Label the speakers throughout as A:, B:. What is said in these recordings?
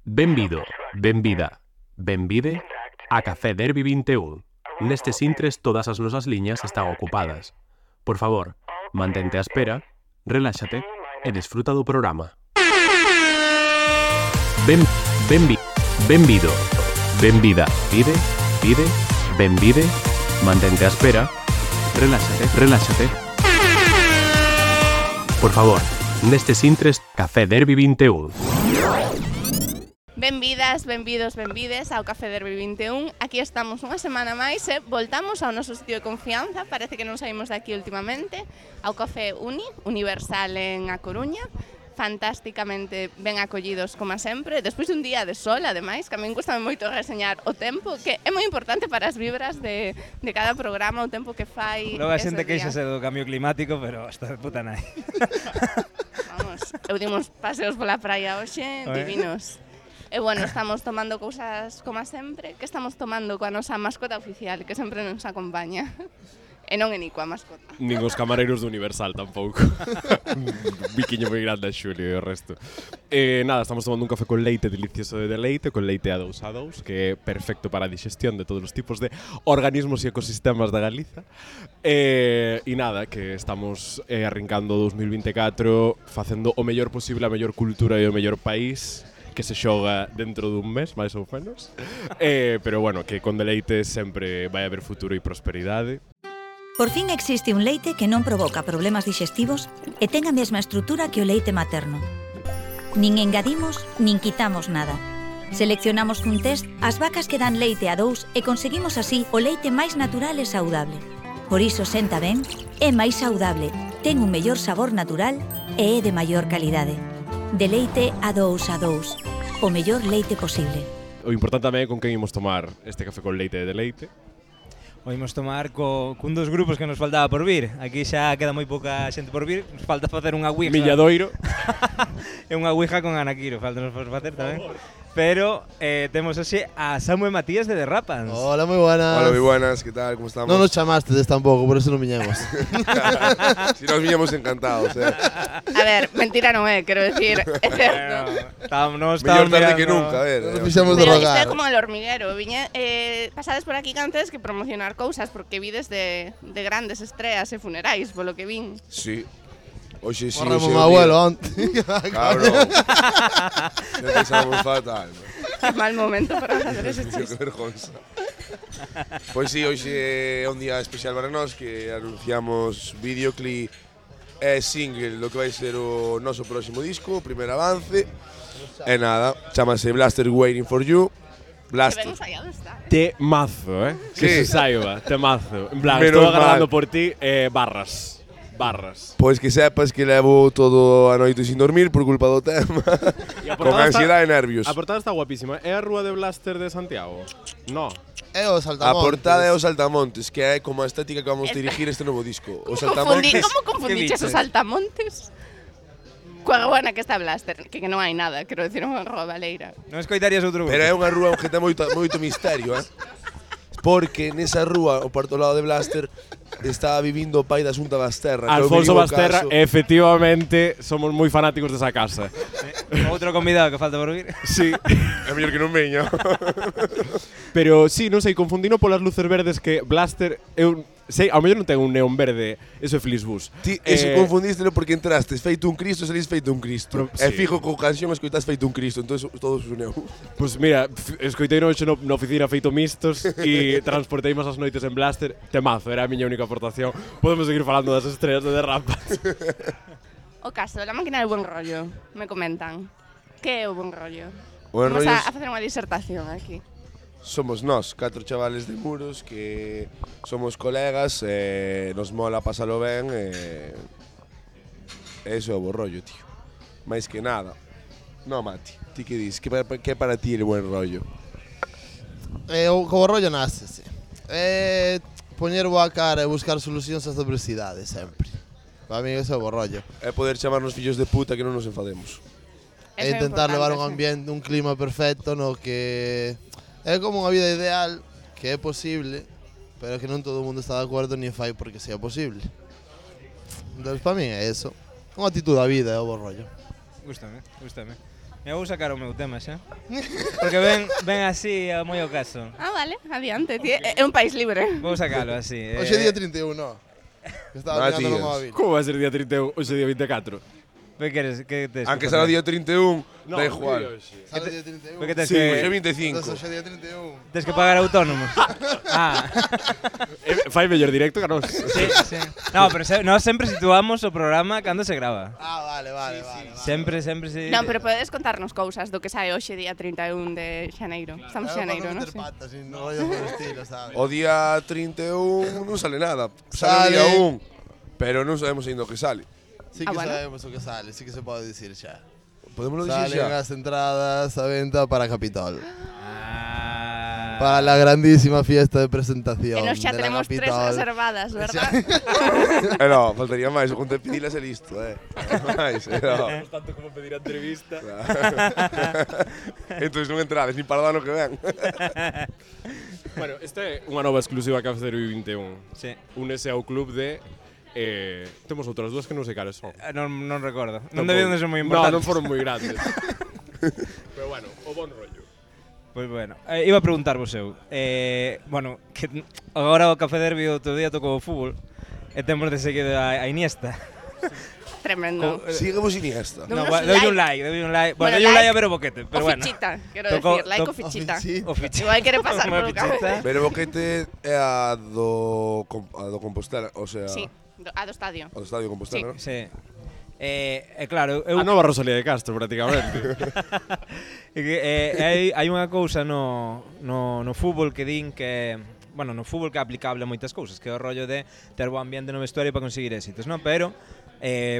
A: Benvido, benvida, benvide a Café Derby 21. Nestes intres todas as nosas liñas están ocupadas. Por favor, mantente á espera, reláxate e desfruta do programa. Benvido, benvida, benvide, mantente á espera, reláxate. Por favor, nestes intres Café Derby 21.
B: Benvidas, benvidos, benvides ao Café Derby 21. Aquí estamos unha semana máis e voltamos ao noso sitio de confianza. Parece que non saímos de aquí últimamente. Ao Café Universal en A Coruña. Fantásticamente ben acollidos, como sempre. Despois dun día de sol, ademais, que a min custa moito reseñar o tempo, que é moi importante para as vibras de cada programa, o tempo que fai.
C: Logo a xente queixase do cambio climático, pero hasta de puta nai.
B: Vamos, eu dimos paseos pola praia hoxe, divinos. E bueno, estamos tomando cousas como sempre. Que estamos tomando coa nosa mascota oficial, que sempre nos acompaña. E non é Nico a mascota.
D: Nin os camareiros do Universal tampouco. Un biquiño moi grande a Xulio e o resto. Nada, estamos tomando un café con leite delicioso de leite, con leite A2, que é perfecto para a digestión de todos os tipos de organismos e ecosistemas da Galiza. E nada, que estamos arrincando 2024 facendo o mellor posible, a mellor cultura e o mellor país que se xoga dentro dun mes, máis ou menos. Pero bueno, que con deleite sempre vai haber futuro e prosperidade.
E: Por fin existe un leite que non provoca problemas digestivos e ten a mesma estrutura que o leite materno. Nin engadimos, nin quitamos nada. Seleccionamos cun test as vacas que dan leite A2 e conseguimos así o leite máis natural e saudable. Por iso senta ben, é máis saudable, ten un mellor sabor natural e é de maior calidade. De leite A2, o mellor leite posible.
D: O importante tamén é con quen imos tomar este café con leite de leite.
C: O imos tomar cun dos grupos que nos faltaba por vir. Aquí xa queda moi pouca xente por vir. Nos falta facer unha ouija.
D: Milladoiro.
C: É unha ouija con Anaquiro, falta nos facer tamén. Pero temos hoxe a Samu e Matías de Derrapans.
F: Hola, moi buenas.
G: Hola, moi buenas, que tal, como estamos?
F: Non nos chamaste tampouco, por eso non viñemos.
G: Si nos viñamos encantados,
B: A ver, mentira non é, quero decir, é certo.
G: Mellor tarde que nunca, a ver.
F: Nos fixemos de
B: Pero isto
F: rogar.
B: é como el hormiguero, pasades por aquí antes que promocionar cousas, porque vides de grandes estreas e funerais, polo que vin.
G: Sí. Oxe, sí,
F: Morremos
G: oxe,
F: meu abuelo onte.
G: Cabrón. Xa pensamos fatal.
B: Que mal momento para facer ese
G: Que
B: chiste.
G: vergonza. Pois sí, hoxe é un día especial para nós, que anunciamos videoclip e single do que vai ser o noso próximo disco, o primer avance. E nada, chamase Blaster Waiting for You.
B: Que ben
G: Blaster.
B: ensaiado está.
D: Temazo, Que
G: Sí.
D: se saiba, temazo. En plan,
G: Menos
D: estou agardando
G: mal.
D: por ti, barras.
G: Pois que sepas que levo todo a noite sin dormir por culpa do tema.
D: E a
G: Con
D: portada
G: ansiedade e nervios.
D: A portada está guapísima. É a rúa de Blaster de Santiago? No.
F: É o
G: A
F: saltamontes.
G: portada é os Saltamontes, que é como a estética que vamos dirigir este novo disco. Os Saltamontes.
B: Como confundiches os saltamontes? Coa rúa na que está Blaster, que non hai nada, quero decir, unha rúa baleira.
C: Non escoitarías outro grupo.
G: Pero é unha rúa que ten moito misterio, Porque nesa rúa, ao parto lado de Blaster, estaba vivindo o pai da Xunta Basterra. que é o
D: Alfonso
G: mínimo
D: Basterra,
G: caso.
D: efectivamente, somos moi fanáticos desa casa.
C: Outro convidado que falta por vir.
D: Sí.
G: É mellor que non veña.
D: Pero sí, non sei, confundino polas luces verdes que Blaster sei, ao mellor non ten un neón verde, eso é Flixbus.
G: Ti eso confundístelo porque entrastes feito un Cristo, salís feito un Cristo.
D: Pero,
G: E
D: sí.
G: fijo co canción escoitas feito un Cristo, entón todo se uneu.
D: Pois mira, escoitei hoxe na oficina feito mistos e transporteimos as noites en Blaster. Temazo, era a miña única aportación. Podemos seguir falando das estrelas de Derrapas.
B: O caso, la máquina del buen rollo, me comentan. Que é o buen rollo?
G: O buen
B: Vamos
G: rollo
B: a facer unha disertación aquí.
G: Somos nós, 4 chavales de Muros que somos colegas e nos mola pasalo ben e eso é o bo rollo, tío. Mais que nada. No, Mati, ti que dis? Que para ti é o buen rollo?
F: O como rollo nace, sí. Poñer boa cara e buscar solucións ás adversidades, sempre. Para mí ese é o bo rollo.
G: É poder chamarnos fillos de puta que non nos enfademos.
F: E intentar levar un ambiente, un clima perfecto no que é como unha vida ideal, que é posible, pero que non todo o mundo está de acordo ni fai porque sea posible. Entón, para mí é eso. Unha actitud da vida, é o bo rollo.
C: Gústame. Me vou sacar o meu tema xa. Porque ven así moi ao caso.
B: Ah, vale, adiante. É un país libre.
C: Vou sacalo así.
F: Hoxe é día 31, no. Que estaba mirando no móvil.
D: Como vai ser día 31 hoxe día 24?
C: Que queres? Que tes?
G: Aunque será o día 31, da igual.
F: Sabe día 31?
C: Porque tes
G: Sí, hoxe
C: que
G: 25.
F: Entonces hoxe é día 31.
C: tes que pagar autónomos. Ah,
D: Fai mellor directo que a nós.
C: sí, sí. No, pero nós sempre situamos o programa cando se grava.
F: Ah, vale.
C: Sempre se...
B: Non, pero podedes contarnos cousas do que sae hoxe día 31 de xaneiro. Estamos en xaneiro, non?
F: meter patas, sin no vaya por el estilo, sabes?
G: O día 31 non sale nada. Sale o día 1. Pero non sabemos ainda o que sale.
F: Sí que
B: bueno.
F: sabemos o que sale, sí que se pode dicir xa.
G: Podemos dicir
F: Salen
G: xa.
F: as entradas a venta para Capitol.
C: Ah.
F: Para la grandísima fiesta de presentación
B: E nos xa
F: de la
B: tenemos 3
F: Capitol.
B: reservadas, verdad?
G: No, faltaría máis. O conte pedilas e listo, máis, no.
D: Tanto como pedir a entrevista.
G: Entón non entrades, nin para o ano que ven.
D: Bueno, esta é unha nova exclusiva que Café Derby 21.
C: Sí.
D: Únese ao club de temos outras dúas que non sei cales son.
C: Non recordo. Non debían de ser moi importantes.
D: Non foron moi grandes. Pero bueno, o bon rollo.
C: Pois bueno, iba a preguntarvos eu. Bueno, que agora o Café Derby outro día tocou o fútbol e temos de seguir a Iniesta.
B: Tremendo.
G: Síguemos Iniesta.
C: No,
B: Unos
C: deulle un like. Bueno,
B: Bueno,
C: deulle un like
B: like
C: a ver o boquete, pero
B: O
C: bueno.
B: fichita, quero
C: Tocou-
B: decir, like o
C: toc-
B: fichita.
C: O fichita.
B: Igual quere pasar
C: Unha
B: polo
C: fichita.
G: Pero o boquete é a do Compostela, o sea,
B: Sí, a do estadio.
G: o do Estadio Compostela, non?
C: Sí. Claro, eu
D: A nova Rosalía de Castro, prácticamente.
C: É que hai unha cousa no fútbol que din que, bueno, no fútbol que é aplicable a moitas cousas, que é o rollo de ter bo ambiente no vestuario para conseguir éxitos, non? Pero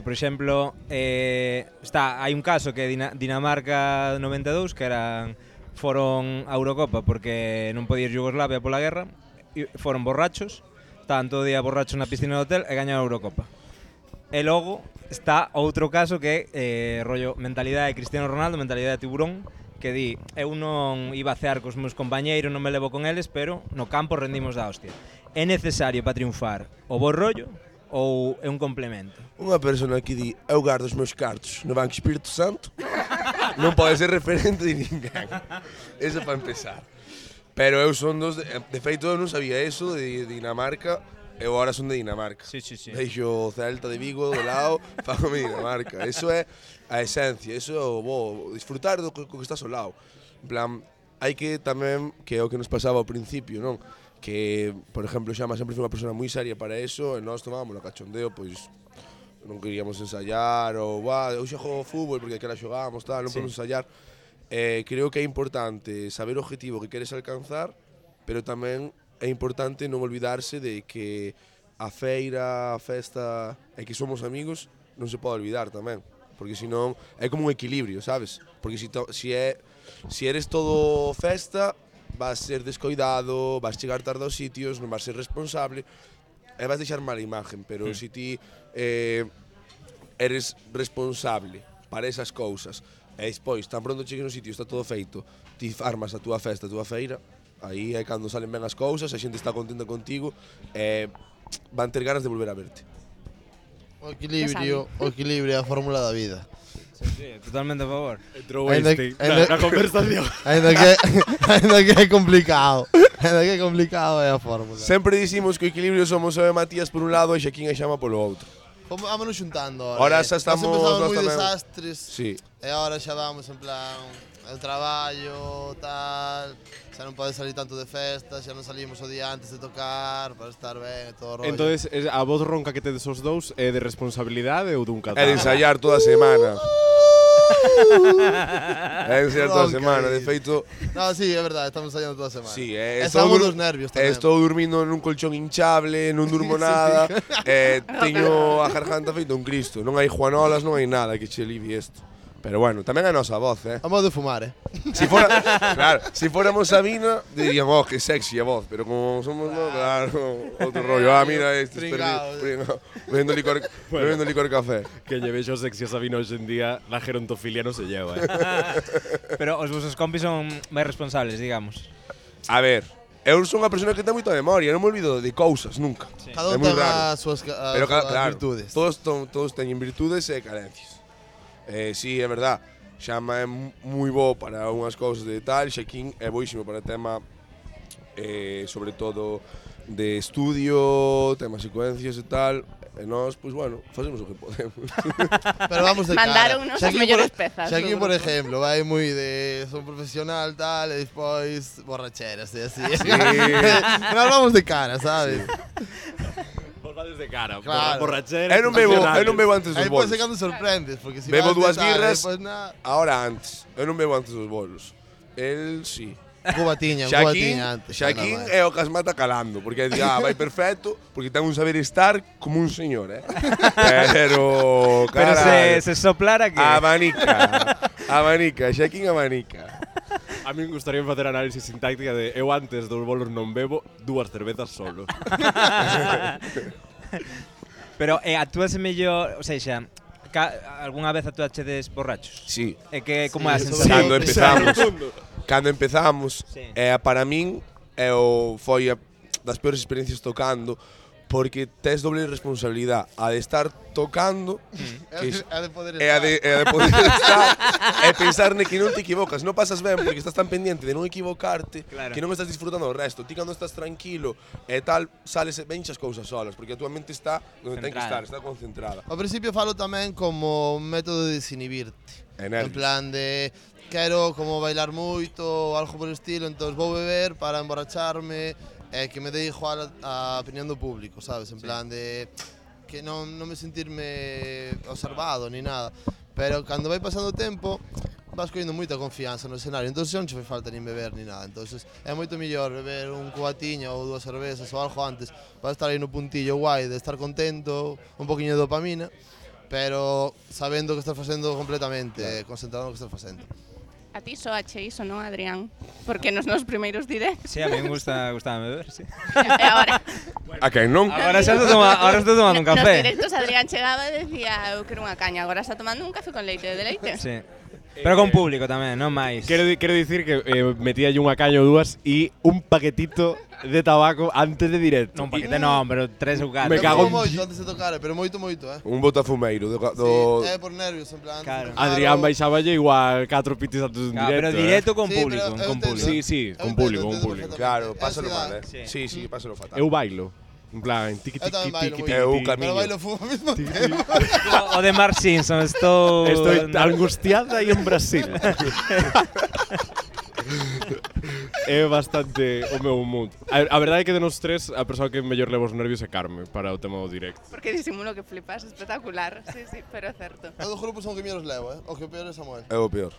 C: por exemplo, hai un caso que é Dinamarca 92, que foron a Eurocopa porque non podía ir Yugoslavia pola guerra, e foron borrachos, estaban todo o día borrachos na piscina do hotel e gañaron a Eurocopa. E logo está outro caso que é rollo mentalidade de Cristiano Ronaldo, mentalidade de tiburón, que di, eu non iba a cear cos meus compañeiros, non me levo con eles, pero no campo rendimos da hostia. É necesario para triunfar o bo rollo ou é un complemento?
G: Unha persona que di, eu gardo os meus cartos no Banco Espírito Santo, non pode ser referente de ninguén. Eso para empezar. Pero eu son de feito eu non sabía eso de Dinamarca. Eu agora son de Dinamarca.
C: Sí.
G: Deixo o Celta de Vigo do lado, fagome Dinamarca. Eso é a esencia, eso é o bo, disfrutar do que estás ao lado. En plan, hai que tamén, que é o que nos pasaba ao principio, non? Que, por exemplo, Xama sempre foi unha persona moi seria para eso, e nós tomábamos a cachondeo, pois non queríamos ensayar, ou eu xa xogo fútbol porque aquela xogábamos, tal, non podemos ensayar. Creo que é importante saber o objetivo que queres alcanzar, pero tamén é importante non olvidarse de que a feira, a festa e que somos amigos non se pode olvidar tamén, porque senón é como un equilibrio, sabes? Porque si eres todo festa, vas ser descoidado, vas chegar tarde aos sitios, non vas ser responsable e vas deixar mala imagen, pero se ti eres responsable para esas cousas e despois, tan pronto chegues no sitio, está todo feito, ti armas a túa festa, a túa feira, aí é cando salen ben as cousas, a xente está contenta contigo e van ter ganas de volver a verte.
F: O equilibrio é a fórmula da vida.
C: Sí, totalmente a favor.
D: Entrou este na conversación.
F: Ainda que é complicado. É a fórmula.
G: Sempre dicimos que o equilibrio somos eu e Matías por un lado e Xaquín e Xama polo outro.
F: Vámonos xuntando
G: Ahora xa estamos
F: nós
G: nós
F: moi
G: tamén.
F: desastres.
G: Sí.
F: E agora xa vamos en plan el traballo, tal, xa non pode salir tanto de festa, xa non salimos o día antes de tocar para estar ben e todo o rollo.
D: Entonces, a voz ronca que tedes os dous é de responsabilidade ou dun
G: É
D: catarro?
G: de ensayar toda a semana. É de ensayar toda a semana, de feito.
F: No, sí, é verdade, estamos ensayando toda a semana.
G: Sí,
F: estamos dos nervios tamén.
G: Estou dormindo nun colchón hinchable, non durmo nada, teño a garganta feito un cristo, non hai juanolas, non hai nada que che alivie isto. Pero bueno, tamén a nosa voz,
F: A modo de fumar,
G: Claro, si fóramos Sabina, dirían, oh, que sexy a voz, pero como somos, no, claro, outro rollo. Mira, este bebendo licor café.
D: Que lle vexo sexy a Sabina hoxe en día, la gerontofilia non se lleva,
C: Pero os vosos compis son máis responsables, digamos.
G: A ver, eu son unha persona que ten moita memoria, non me olvido de cousas, nunca.
F: Cada un
G: É moi
F: ten
G: raro.
F: as súas
G: Pero claro,
F: virtudes.
G: todos teñen virtudes e carencias. Sí, é verdad. Xama é moi bo para unhas cousas de tal, Xaquín é boísimo para tema sobre todo de estudio, temas secuencias e tal. E nós, pois bueno, facemos o que podemos.
F: Pero vamos de cara.
B: Mandáronnos as mellores pezas.
F: Xaquín,
B: do
F: por
B: grupo.
F: exemplo, vai moi de son profesional tal, e despois borracheras e así.
G: Sí.
F: Nós vamos de cara, sabes?
D: Vos vades de cara,
F: Claro.
D: borrachera.
G: Eu non bebo antes dos
F: Aí depois
G: bolos.
F: se cando sorprendes, porque si
G: Bebo
F: vas de
G: dúas
F: tal,
G: birras.
F: depois nada.
G: Ahora antes. Eu non bebo antes dos bolos. El sí.
F: Cubatiña,
G: Xaquín,
F: antes.
G: Xaquín
F: normal.
G: é o que as mata calando, porque vai perfecto, porque ten un saber estar como un señor, Pero,
C: Pero
G: caralho,
C: se soplara que...
G: Abanica, Xaquín abanica.
D: A mí me gustaría facer análisis sintáctica de eu antes dos bolos non bebo 2 cervezas solo.
C: Pero actúase mellor, ou seja, algunha vez actuachedes borrachos?
G: Sí.
C: É que como
F: Sí,
C: é a
F: sobre
C: sensación?
G: Cando empezamos,
C: Sí.
G: para min foi das peores experiencias tocando, porque tes doble responsabilidade, a de estar tocando,
F: É de poder
G: é a de poder estar e pensar que non te equivocas, non pasas ben porque estás tan pendiente de non equivocarte,
C: Claro.
G: que non estás disfrutando o resto. Ti cando estás tranquilo e tal, sales e venches cousas solas, porque a tua mente está onde ten que estar,
C: Centrada.
G: está concentrada.
F: Ao principio falo tamén como un método de desinhibirte.
G: E
F: En
G: nervios.
F: plan de quero como bailar moito ou algo por estilo, entón vou beber para emborracharme e que me dé igual a opinión do público, sabes? En plan de que non me sentirme observado ni nada. Pero cando vai pasando o tempo vas collendo moita confianza no escenario, entón non che fai falta nin beber ni nada. Entón é moito mellor beber un cubatiño ou 2 cervezas ou algo antes para estar aí no puntillo guai de estar contento, un poquinho de dopamina, pero sabendo o que estás facendo completamente, concentrado no que estás facendo.
B: A ti soache iso, non, Adrián? Porque nos primeiros directos.
C: Sí, a mí me gusta beber, sí.
B: E agora,
G: A quen non?
C: Agora xa estou tomando un
B: nos
C: café.
B: directos Adrián chegaba e decía eu quero unha caña, agora está tomando un café con leite de leite.
C: Sí. Pero con público tamén, non máis.
D: Quero dicir que metía un caño ou dúas e un paquetito de tabaco antes de directo.
C: Non paquete non, pero 3 ou 4.
D: Me cago en-
F: moito antes de tocar, pero moito,
G: Un botafumeiro do
F: Sí, é por nervios, en plan.
C: Claro.
D: Adrián baixaballe igual 4 pitis antes de un directo.
C: Pero directo con
F: Sí,
C: público,
F: pero eu
C: con
F: entendo.
C: público.
D: Sí,
F: Eu
D: con
F: entendo,
D: público, con
F: entendo
D: público.
G: Claro,
F: perfectamente.
G: pásalo
F: É
G: mal,
F: ansiedade.
G: Sí, pásalo fatal.
D: Eu bailo. En plan, tiqui
F: Eu tamén
D: tiqui
F: bailo
D: tiqui
F: moito.
G: Eu
D: tiqui.
G: camiño.
F: Pero bailo fumo ao mesmo tempo.
C: O de Mark Simpson, estou
D: angustiada e en Brasil. É bastante o meu mood. A verdade é que de nos tres, a persoa que mellor leva os nervios é Carme para o tema do directo.
B: Porque disimulo que flipas, espectacular. Sí, pero é certo.
F: Eu do grupo son o que menos levo, O que peor é Samuel.
G: É o peor.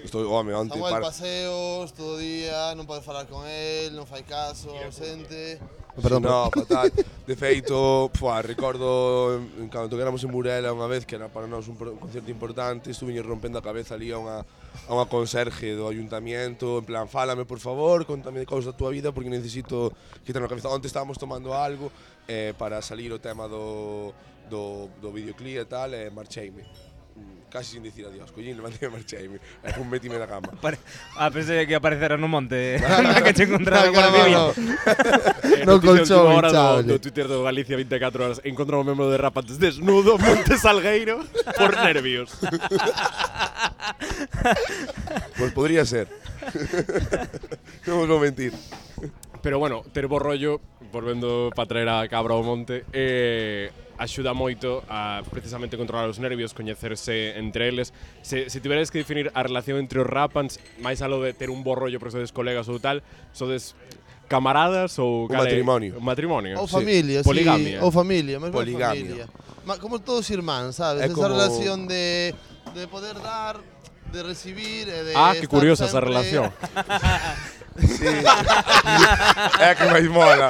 G: Estou, home, onte
F: Samuel
G: para...
F: paseos, todo o día, non pode falar con él, non fai caso, ausente.
G: No, fatal. De feito, recordo cando tocáramos en Burela unha vez que era para nós un concerto importante, estuve rompendo a cabeza ali a unha conserje do ayuntamiento, en plan, fálame por favor, contame de cousas da tua vida porque necesito quitarme a cabeza. Onte estábamos tomando algo para salir o tema do videoclip e tal, e marcheime. Casi sin dicir adiós, collín, levantei e marcheime. E fun metime na cama.
C: Pensei que aparecera no monte que che encontrara con a vivir.
F: No colchón,
D: hora
F: hinchable.
D: do Twitter do Galicia 24 horas encontrou un membro de Rapates desnudo, Monte Salgueiro, por nervios.
G: Pois podría ser. Non vos vou mentir.
D: Pero bueno, ter bo rollo, volvendo para traer a cabra ao monte, axuda moito a precisamente controlar os nervios, coñecerse entre eles. Se tiveres que definir a relación entre os rapans, máis alo de ter un bo rollo porque sodes colegas ou tal, sodes camaradas ou
G: Un matrimonio.
D: Un matrimonio.
F: Ou
D: sí.
F: familia,
D: Poligamia.
F: sí. Ou familia, mesmo
G: Poligamia.
F: familia. Como todos irmáns, sabes?
G: É
F: Esa
G: como-
F: relación de poder dar, de recibir e de
D: Que
F: estar
D: curiosa esa
F: sempre-
D: relación.
G: Sí. É a que máis mola.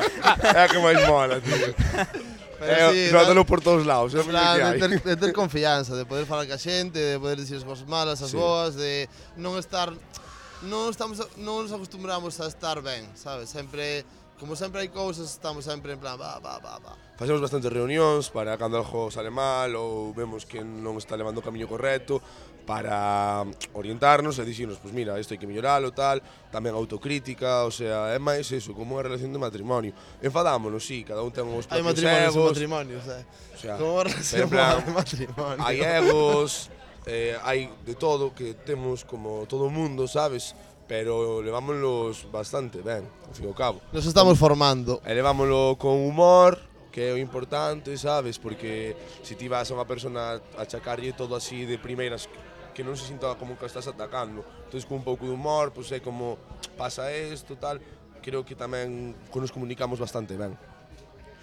G: É a que máis mola, tío.
F: Pero sí,
G: Trátalo por todos lados, é o
F: En plan,
G: que hai.
F: de ter confianza, de poder falar ca xente, de poder dicir as cosas malas, as
G: Sí.
F: boas, de non estar non nos acostumbramos a estar ben, sabes? Sempre, como sempre hai cousas, estamos sempre en plan va.
G: Facemos bastantes reunións para cando algo sale mal ou vemos que non está levando o camiño correcto para orientarnos e dicirnos, pois mira, isto hai que melloralo, tal, tamén autocrítica, o sea, é máis eso, como unha relación de matrimonio. Enfadámonos, sí, cada un ten os
F: Hai
G: propios
F: matrimonios e
G: egos,
F: matrimonios,
G: o sea,
F: Como unha relación
G: en plan,
F: de matrimonio.
G: hai egos, hai de todo, que temos como todo o mundo, sabes? Pero levámonos bastante ben, ao fin e ao cabo.
F: Nos estamos formando.
G: E levámoslo con humor, que é o importante, sabes? Porque se ti vas a unha persona a achacarlle todo así de primeiras, que non se sinta como que estás atacando. Entón, con un pouco de humor, pois é como pasa isto, tal. Creo que tamén nos comunicamos bastante ben.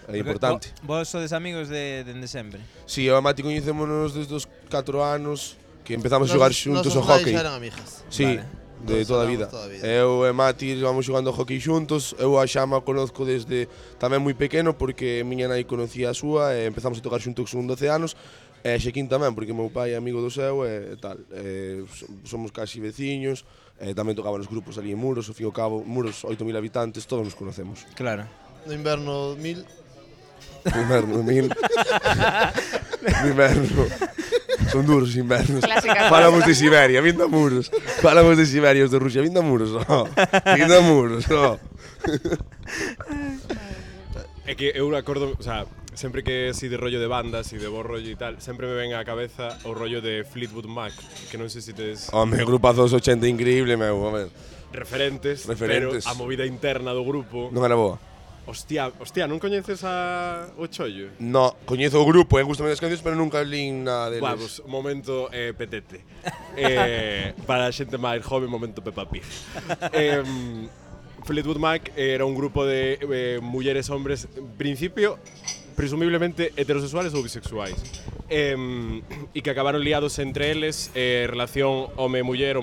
G: É importante.
C: Vos sodes amigos dende sempre?
G: Si, eu e Mati coñecémonos desde os 4 anos, que empezamos a xogar xuntos ao hockey.
F: Nos eran amigas.
G: Si, de toda a vida. Eu e Mati vamos xogando ao hockey xuntos. Eu a Xama conozco desde tamén moi pequeno, porque miña nai conocía a súa e empezamos a tocar xuntos con 12 anos. E Xequín tamén, porque meu pai é amigo do seu e tal. Somos casi veciños, tamén tocaban os grupos ali en Muros, ao fin e ao cabo, Muros, 8.000 habitantes, todos nos conocemos.
C: Claro.
F: No inverno 1000.
G: No inverno 1000. No inverno. Son duros os invernos. Falamos de Siberia, vindo a Muros. Falamos de Siberia, os de Rusia, vindo a Muros, vindo a Muros,
D: É que eu acordo, o sea, sempre que si de rollo de bandas e de bo rollo e tal, sempre me ven á cabeza o rollo de Fleetwood Mac, que non sei se tes
G: Home, grupazo dos 80 increíble, meu, a ver.
D: referentes, pero a movida interna do grupo.
G: Non era boa.
D: Hostia, non coñeces a o Chollo?
G: No, coñezo o grupo, gustame as cancións, pero nunca lín nada deles.
D: Pues, momento petete. Para a xente máis jove, momento Peppa Pig. Fleetwood Mac era un grupo de mulleres hombres, en principio, presumiblemente heterosexuales ou bisexuais. E que acabaron liados entre eles, relación home-muller.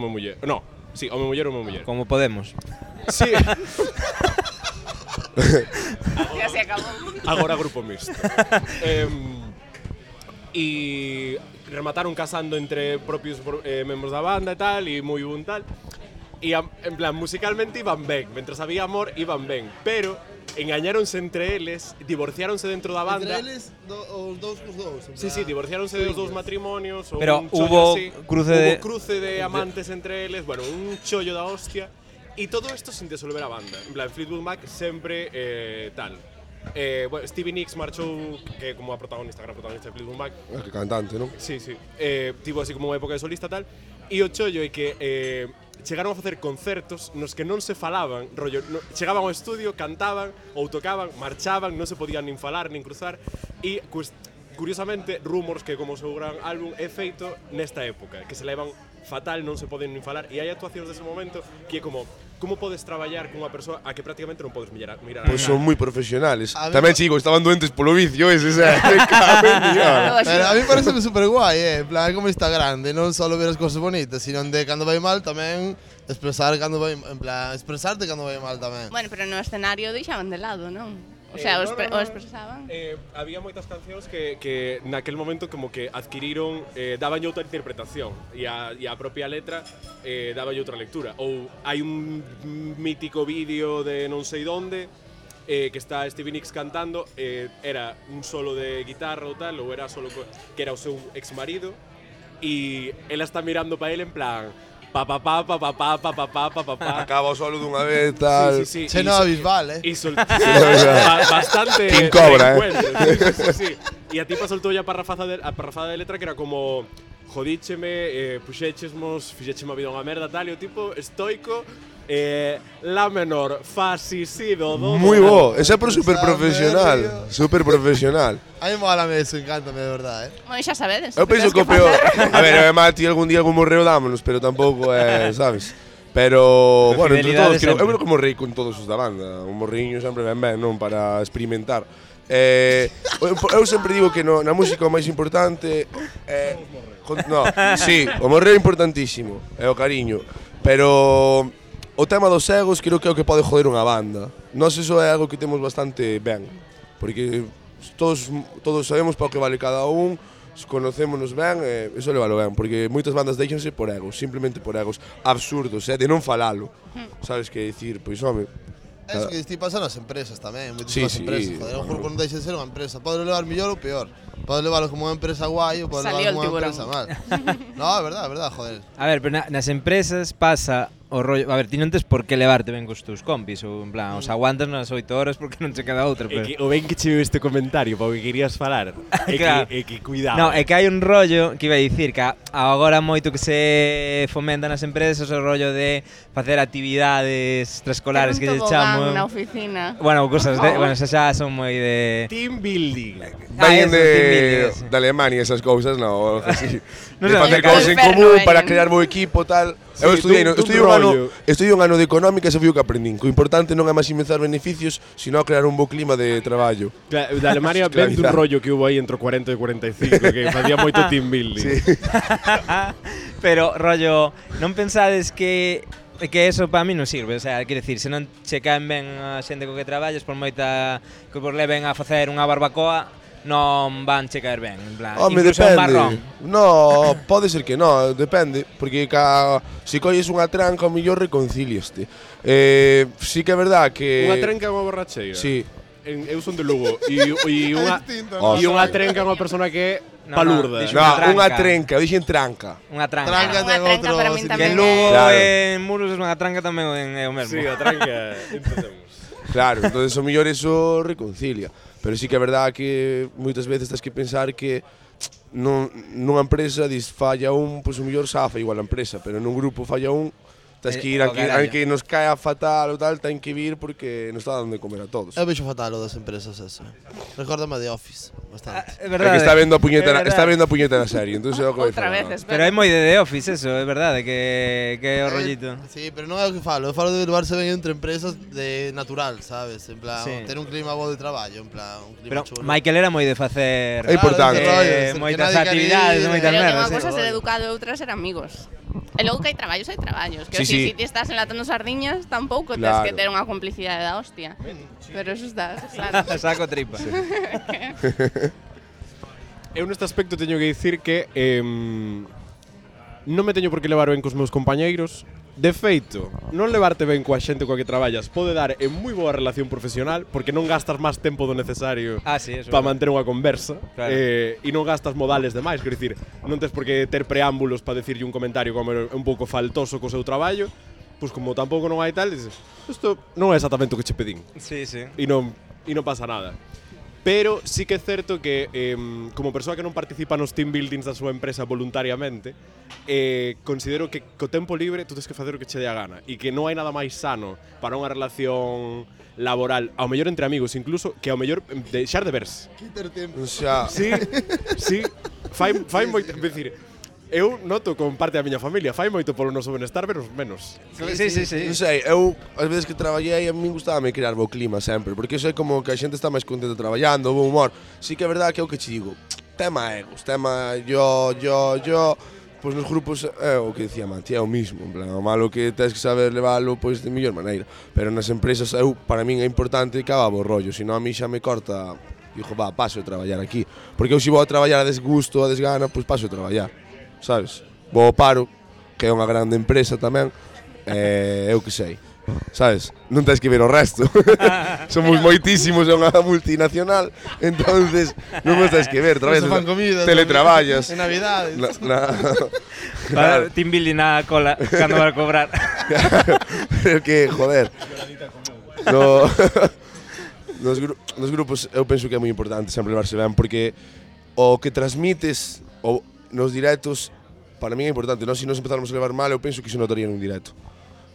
D: No, sí, home-muller.
C: Como Podemos.
D: Sí.
B: Ya se acabou.
D: Agora grupo mixto. E remataron casando entre propios membros da banda e tal, e moi bon tal. E en plan, musicalmente iban ben, mentras había amor iban ben, pero engañáronse entre eles, divorciáronse dentro da banda.
F: Entre eles, os dous cos dous.
D: Sí, divorciáronse dos dous matrimonios.
C: Pero
D: un
C: hubo
D: así,
C: cruce
D: cruce de amantes entre eles, bueno, un chollo da hostia. E todo isto sin disolver a banda. En plan, Fleetwood Mac sempre tal. Bueno, Stevie Nicks marchou, que como a protagonista, gran protagonista de Fleetwood Mac.
G: Que cantante, non?
D: Sí. Tivo así como unha época de solista tal. E o chollo é que chegaron a facer concertos nos que non se falaban, rollo, chegaban ao estudio, cantaban ou tocaban, marchaban, non se podían nin falar, nin cruzar. E curiosamente, Rumors, que como o seu gran álbum é feito nesta época, que se levan fatal, non se poden nin falar, e hai actuacións dese momento que é como podes traballar con unha persoa a que prácticamente non podes mirar
G: Pois son moi profesionales. Tamén, chicos, estaban doentes polo vicio ese,
F: Pero a mí parece super guai, en plan, como Instagram, de non só ver as cousas bonitas, sino de cando vai mal tamén expresar cando vai, en plan, expresarte cando vai mal tamén.
B: Bueno, pero no escenario deixaban de lado, non? O sea, o expresaban.
D: Había moitas cancións que naquel momento como que adquiriron, daban outra interpretación e a propia letra daba outra lectura. Ou hai un mítico vídeo de non sei donde que está Stevie Nicks cantando, era un solo de guitarra ou tal, ou era solo que era o seu exmarido, e ela está mirando para ele en plan
G: acaba o solo dunha vez, tal.
D: Sí.
F: Che no Bisbal,
D: bastante
G: King Cobra,
D: sí. E a tipa soltou a parrafada de letra que era como jodícheme, puxéchesmos, fixécheme a vida unha merda, tal, e o tipo estoico, la menor, fa, si, do.
G: Moi bo, ese é super profesional, super profesional.
F: A mí molame eso, encántame de verdade,
B: Bueno, xa sabedes.
G: Eu penso que o peor, a ver, Mati, algún día algún morreo dámonos, pero tampouco é, sabes? Pero, bueno, entre todos, eu creo que morrei con todos os da banda, un morriño sempre ben, non, para experimentar. Eu sempre digo que na música o máis importante é... No, sí, o morreo é importantísimo, é o cariño, pero o tema dos egos creo que é o que pode joder unha banda. Nós iso é algo que temos bastante ben, porque todos sabemos para o que vale cada un, conocémonos ben, iso levalo ben, porque moitas bandas deixanse por egos, simplemente por egos absurdos, de non falalo. Sabes que dicir, pois home,
F: eso que ti pasa nas empresas tamén,
G: Sí,
F: empresas, joder, o grupo non deixa de ser unha empresa, pode levar mellor ou peor. Pode leválo como unha empresa guai ou pode leválo como unha empresa mal. No, é verdade, joder.
C: A ver, pero nas empresas pasa o rollo, a ver, ti non tes por que levarte ben cos teus compis, ou en plan, os aguantas nas 8 horas porque non che queda outra,
D: É
C: pero
D: que, o ben que che veo este comentario, para o que querías falar,
C: Claro.
D: é que cuidado.
C: No, é que hai un rollo que iba a dicir que agora moito que se fomenta nas empresas o rollo de facer actividades extraescolares que lle chamo.
B: na oficina.
C: Bueno, cosas de, bueno, esas xa son moi de
D: Team building.
G: Vayan
C: eso, team building,
G: de,
C: eso.
G: de Alemania esas cousas, no, algo así.
C: No
G: De
C: sé,
G: facer
C: me
G: cousas en
B: inferno,
G: común
B: veñen.
G: para crear bo equipo, tal.
D: Sí,
G: Eu estudiei,
D: dun
G: estudiei
D: rollo.
G: un ano de económica e xa fui o que aprendín. O importante non é maximizar beneficios, sino crear un bo clima de traballo.
D: Claro, de Alemania ven dun
G: Esclavizar.
D: rollo que hubo aí entre 40 e 45, que facía moito team building.
G: Sí.
C: Pero rollo, non pensades que eso para mí non sirve, o sea, quero dicir, se non che caen ben a xente co que traballas, por moita que vos leven a facer unha barbacoa, non van che caer ben, en plan,
G: Home,
C: incluso un
G: depende.
C: marrón.
G: No, pode ser que no, depende, porque se colles unha tranca, o mellor reconcíliaste. Sí que é verdad que
D: Unha trenca é unha borracheira.
G: Sí.
D: Eu son de Lugo e unha
G: Oh,
D: e unha trenca é unha persona que é
C: No,
D: palurda.
C: dixo
G: No,
C: Unha
G: unha
C: tranca.
G: trenca, dixen tranca.
C: Unha tranca.
F: Tranca
B: Unha
F: ten
B: tranca
F: outro
B: para min
F: significado.
C: Que en
B: tamén
C: Lugo
G: Claro.
C: en Muros é unha tranca tamén é o mesmo.
D: Sí, a tranca, entendemos.
G: Claro, entonces o mellor eso reconcilia. Pero sí que é verdad que moitas veces tens que pensar que nunha empresa dis falla un, pois o mellor safa igual a empresa, pero nun grupo falla un, tens que ir
C: O carallo.
G: aunque nos caia fatal ou tal, ten que vir porque nos está dando de comer a todos.
F: Eu vexo fatal o das empresas eso. Recórdame de Office, bastante.
C: É
G: É
C: verdade.
G: que está vendo a
C: É
G: puñeta,
C: verdade.
G: está vendo a puñeta na serie, entonces é o que vai
B: Outra
G: falar.
B: vez,
C: Pero é moi de The Office eso, é verdade, que é o rollito.
F: Sí, pero non é o que falo, eu falo de levarse ben entre empresas de natural, sabes? En plan,
C: Sí.
F: ter un clima bo de traballo, en plan, un clima
C: Pero
F: chulo.
C: Michael era moi de facer
G: É importante.
F: Claro, ese rollo,
C: moitas
F: que nadie quere
C: actividades,
F: ir,
C: moitas
B: Pero que
C: merdas.
B: unha cosa é
C: sí.
B: ser educado e outra ser amigos. E logo que hai traballos, Que
G: Sí,
B: si
G: sí.
B: ti estás enlatando sardiñas, tampouco
G: Claro.
B: tens que ter unha complicidade da hostia. Pero eso está claro.
C: Saco tripa.
D: Eu neste aspecto teño que dicir que non me teño por que levar ben cos meus compañeiros. De feito, non levarte ben coa xente coa que traballas pode dar en moi boa relación profesional porque non gastas máis tempo do necesario
C: Ah, sí, eso.
D: para manter unha conversa
C: Claro.
D: e non gastas modales demais, quero dicir, non tes por que ter preámbulos para decirlle un comentario como é un pouco faltoso co seu traballo, pois como tampouco non hai tal, dices, isto non é exactamente o que che pedín.
C: Sí, sí.
D: E non pasa nada. Pero sí que é certo que como persoa que non participa nos team buildings da súa empresa voluntariamente, considero que co tempo libre tú tens que facer o que che dé a gana e que non hai nada máis sano para unha relación laboral, ao mellor entre amigos incluso, que ao mellor deixar de verse.
F: Quiter tempo.
G: O sea,
D: Sí, sí, fai moito, é dicir, eu noto con parte da miña familia, fai moito polo noso benestar, pero menos.
C: Sí, sí, sí.
G: non sei, eu as veces que traballei a min gustábame crear bo clima sempre, porque iso é como que a xente está máis contenta traballando, bo humor. Sí que é verdade que é o que che digo, tema egos, tema yo, pois nos grupos é o que dicía Mati, é o mismo, en plan, o malo que tens que saber leválo pois de mellor maneira, pero nas empresas eu para min é importante que haga bo rollo, senón a mí xa me corta, digo, va, paso de traballar aquí, porque eu se vou a traballar a desgusto, a desgana, pois paso de traballar, sabes? Vou ao paro, que é unha grande empresa tamén, eu que sei, sabes? Non tens que ver o resto. Somos moitísimos, é unha multinacional, entonces non nos tens que ver, traballas,
F: Eso fan comida,
G: teletraballas.
F: En Navidades.
C: Para team building na cola cando vai a cobrar.
G: Pero que, joder. No, nos grupos eu penso que é moi importante sempre levarse ben porque o que transmites nos directos para mí é importante, se nos empezáramos a levar mal eu penso que se notaría nun directo.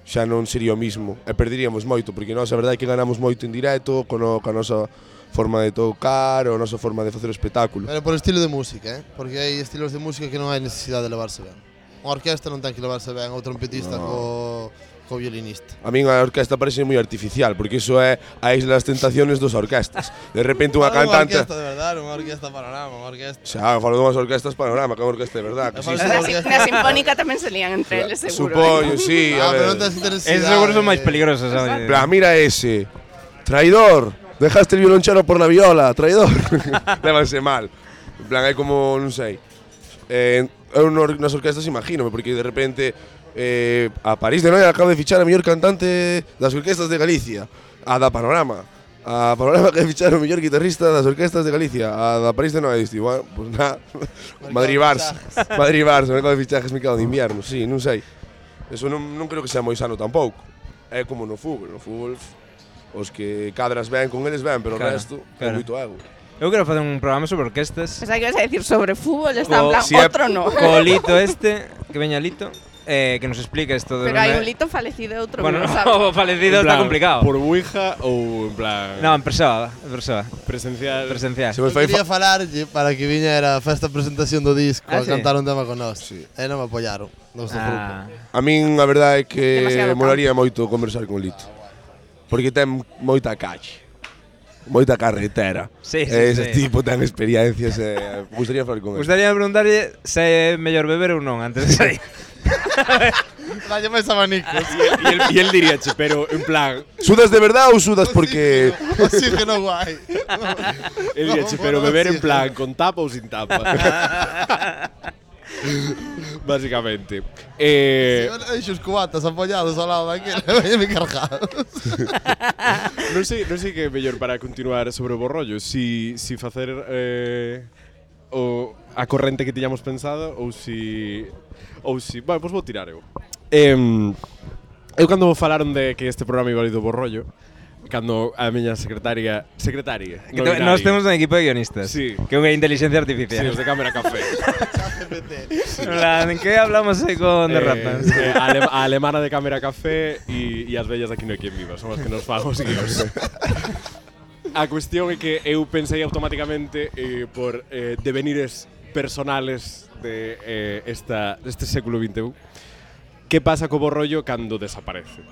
G: Xa non sería o mismo e perderíamos moito porque nós a verdade é que ganamos moito en directo con a nosa forma de tocar ou a nosa forma de facer o espectáculo.
F: Pero por estilo de música, porque hai estilos de música que non hai necesidade de levarse ben. Unha orquesta non ten que levarse ben, o trompetista co violinista.
G: A min a orquesta parece moi artificial, porque iso é a Isla das Tentaciones dos orquestas. De repente unha cantante...
F: Unha orquesta de verdade, unha orquesta panorama, unha orquesta...
G: Xa, falo dunhas orquestas panorama, que é unha orquesta de verdade. Que sí,
B: Na sinfónica tamén se lían entre eles, seguro.
G: supoño, sí, a
F: pero
G: ver.
F: non tens necesidade.
C: Esos seguros son máis peligrosos, sabes?
G: Pero mira ese, traidor, dejaste el violonchelo por la viola, traidor. Lévanse mal. En plan, hai como, non sei. Eu nas orquestas imagínome, porque de repente a París de Noia acaba de fichar a mellor cantante das orquestas de Galicia, a da Panorama. A Panorama que fichar o mellor guitarrista das orquestas de Galicia, a da París de Noia. Diste, bueno, pues nada, Madrid-Barça, me cago de fichajes, me cago de invierno, sí, non sei. Eso non creo que sea moi sano tampouco. É como no fútbol os que cadras ben con eles ben, pero o resto é moito ego.
C: Eu quero facer un programa sobre orquestas.
B: Pensaba que ibas a decir sobre fútbol, está en plan, outro no.
C: Co Lito que veña Lito, que nos explique isto de...
B: Pero hai un Lito falecido e outro
C: bueno,
B: que non sabe.
C: O falecido está complicado.
D: Por Ouija ou en plan...
C: No, en persoa.
D: Presencial.
G: Se vos fai
F: Quería falarlle para que viñera a festa de presentación do disco a
C: sí?
F: cantar un tema con nós. E non me apoyaron no noso grupo.
G: A min a verdade é que
B: Demasiado
G: molaría moito conversar con Lito. Porque ten moita calle. Moita carretera.
C: Sí,
G: Ese tipo ten experiencias e gustaría falar con ele.
C: Gustaría preguntarlle se é mellor beber ou non antes de sair.
F: Dalle máis abanicos.
D: E el diríache, pero en plan...
G: Sudas de verdade ou sudas porque...
F: Oxígeno guai.
D: El diríache, pero beber en plan con tapa ou sin tapa. Básicamente.
F: Deixo os cubatas apoyados ao lado daquele, me cargados.
D: Non sei que é mellor para continuar sobre o borrollo, si facer a corrente que tiñamos pensado ou si... Bueno, pois vou tirar eu. Eu cando falaron de que este programa iba a ir do borrollo, cando a miña secretaria
C: Que nós temos un equipo de guionistas.
D: Sí.
C: Que é unha inteligencia artificial.
D: Sí, os de Cámara Café.
C: En que hablamos aí con derrapas?
D: A alemana de Cámara Café e as bellas de Aquí no hai quen viva, son as que nos fan os guións. A cuestión é que eu pensei automáticamente por devenires personales de este século XXI. Que pasa co borrollo cando desaparece?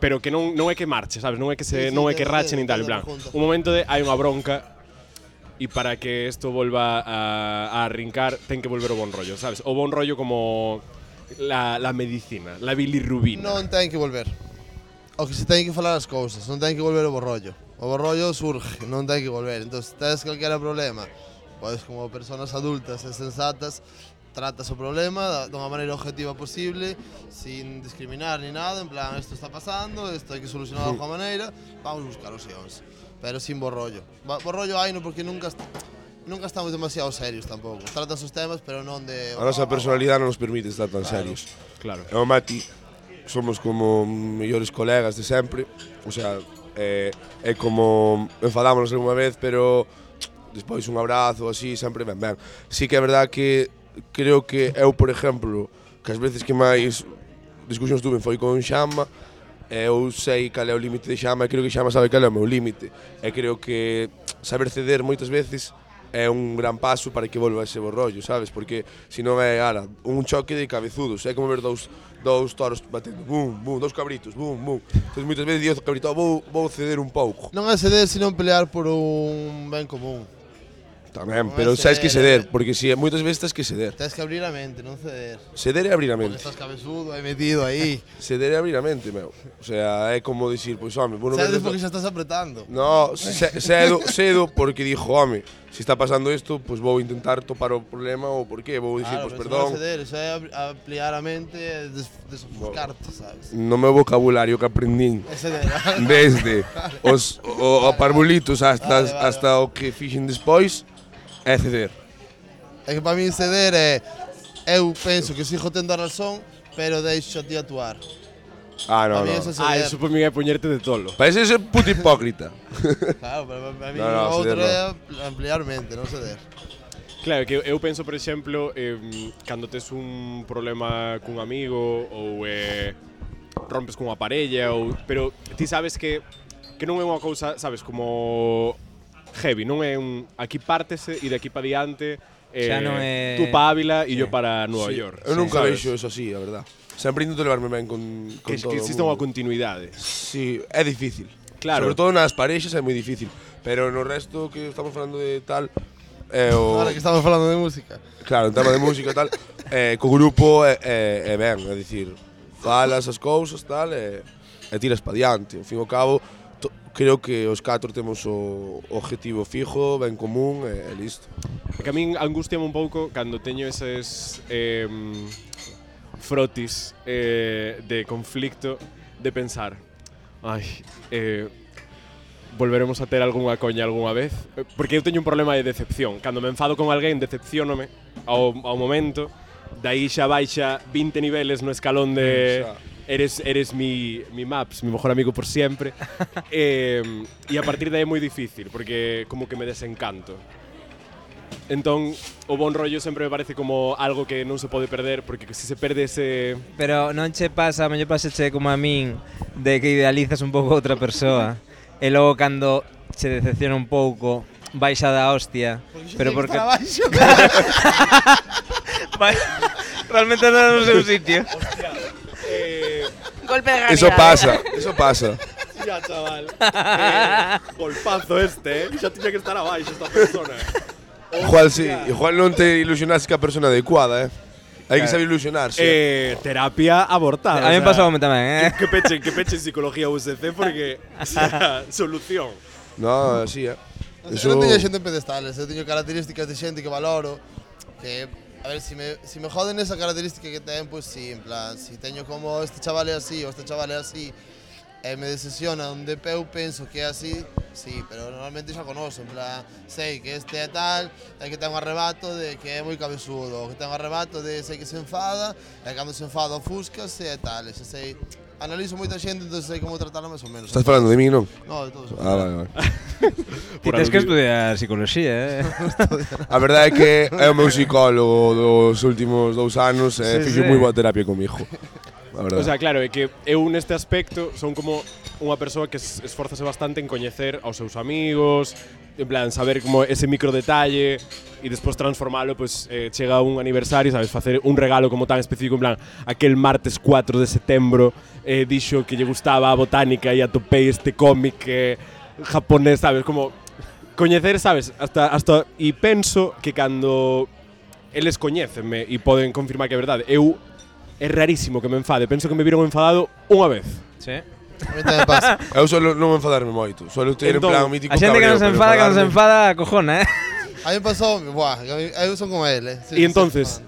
D: Pero que non é que marche, sabes? Non é que rache nin tal, en plan. Un momento de hai unha bronca e para que isto volva a arrincar ten que volver o bon rollo, sabes? O bon rollo como la medicina, la bilirrubina.
F: Non ten que volver. O que se ten que falar as cousas, non ten que volver o borrollo. O borrollo surge, non ten que volver. Entón, se tens calquera problema, pois como persoas adultas e sensatas, tratas o problema dunha maneira objetiva posible, sin discriminar ni nada, en plan, isto está pasando, isto hai que solucionar de alguma maneira, vamos buscar opcións, pero sin borrollo. Borrollo hai no porque nunca estamos demasiado serios tampouco. Tratas os temas, pero non de...
G: A nosa personalidade non nos permite estar tan serios.
D: Claro.
G: E o Mati somos como mellores colegas de sempre, o sea, é como enfadámonos algunha vez, pero despois un abrazo así, sempre ben. Sí que é verdad que creo que eu, por exemplo, que as veces que máis discusións tuve foi con Xama, eu sei cal é o límite de Xama e creo que Xama sabe cal é o meu límite. E creo que saber ceder moitas veces é un gran paso para que volva ese borrollo, sabes? Porque se non é, un choque de cabezudos, é como ver dous toros batendo, bum, bum, dous cabritos, bum, bum. Entón moitas veces digo, cabrito, vou ceder un pouco.
F: Non é ceder, senón pelear por un ben común.
G: Tamén, pero sabes que ceder, porque si moitas veces tens que ceder.
F: Tens que abrir a mente, non ceder.
G: Ceder é abrir a mente.
F: Porque estás cabezudo aí metido aí.
G: Ceder é abrir a mente, meu. O sea, é como dicir, pois home, vou non
F: cedes porque xa estás apretando.
G: No, cedo porque dixo, home, se está pasando isto, pois vou intentar topar o problema ou por qué, vou dicir, pois perdón.
F: Non ceder, eso é ampliar a mente e desofuscarte, sabes?
G: No meu vocabulario que aprendín desde os parvulitos hasta o que fixen despois, é ceder.
F: É que para mí ceder é... Eu penso que sigo tendo a razón, pero deixo a ti actuar.
G: No.
D: Eso por mí é poñerte de tolo.
G: Parece ser puto hipócrita.
F: Claro, pero para mí o outro é ampliar mente, non ceder.
D: Claro, que eu penso, por exemplo, cando tes un problema cun amigo ou rompes cunha parella, pero ti sabes que non é unha cousa, sabes, como... heavy, non é un aquí pártese e de aquí para diante
C: xa non é...
D: tú para Ávila e yo para Nueva York.
G: Eu nunca vexo eso así, a verdad. Sempre intento levarme ben con todo.
D: Que existe unha continuidade.
G: Sí, é difícil.
D: Claro.
G: Sobre todo nas parexas é moi difícil, pero no resto que estamos falando de tal
F: Ahora que estamos falando de música.
G: Claro, en tema de música e tal, co grupo é ben, é dicir, falas as cousas tal e tiras pa diante. Ao fin e ao cabo, creo que os 4 temos o objetivo fijo, ben común e listo.
D: É que a min angustiame un pouco cando teño eses frotis de conflicto de pensar volveremos a ter algunha coña algunha vez, porque eu teño un problema de decepción. Cando me enfado con alguén, decepciónome ao momento, aí xa baixa 20 niveles no escalón de eres mi Maps, mi mejor amigo por siempre. E a partir de aí é moi difícil, porque como que me desencanto. Entón, o bon rollo sempre me parece como algo que non se pode perder, porque se se perde ese...
C: Pero non che pasa, mellor paseche como a min, de que idealizas un pouco outra persoa, e logo cando che decepciona un pouco, baixa da hostia, pero porque... Realmente non no seu sitio.
B: Golpe de realidad.
G: Eso pasa.
D: Ya, chaval. Golpazo xa tiña que estar abaixo esta persona.
G: Igual non te ilusionaste ca persona adecuada, Hai que saber ilusionarse.
D: Terapia abortada.
C: A mí me pasoume tamén,
D: Que pechen psicología USC porque solución.
G: No, así,
F: Eso... Eu non teño xente en pedestales, eu teño características de xente que valoro, que, a ver, si me joden esa característica que ten, pues sí, en plan, si teño como este chaval é así, ou este chaval é así, e me decepciona onde eu penso que é así, sí, pero normalmente xa conozo, en plan, sei que este é tal, e que ten un arrebato de que é moi cabezudo, ou que ten un arrebato de sei que se enfada, e cando se enfada ofúscase e tal, e xa sei, analizo moita xente, entón sei como tratarlo máis ou menos.
G: Estás falando de mí, non?
F: No, de todos.
G: Vale.
C: Ti tens que estudiar psicología,
G: A verdade é que é o meu psicólogo dos últimos 2 anos e fixo moi boa terapia comigo.
D: O sea, claro, é que eu neste aspecto son como unha persoa que esforzase bastante en coñecer aos seus amigos, en plan, saber como ese micro detalle e despois transformalo, pues chega un aniversario, sabes, facer un regalo como tan específico, en plan, aquel martes 4 de setembro dixo que lle gustaba a botánica e atopei este cómic japonés, sabes, como coñecer, sabes, hasta e penso que cando eles coñécenme e poden confirmar que é verdade, é rarísimo que me enfade, penso que me viron enfadado unha vez.
C: Sí.
F: A mí tamén pasa.
G: Eu solo non enfadarme moito, solo ter en plan mítico
C: a xente que non se enfada, cojona,
F: A mí me pasou, eu son como ele.
D: E entonces,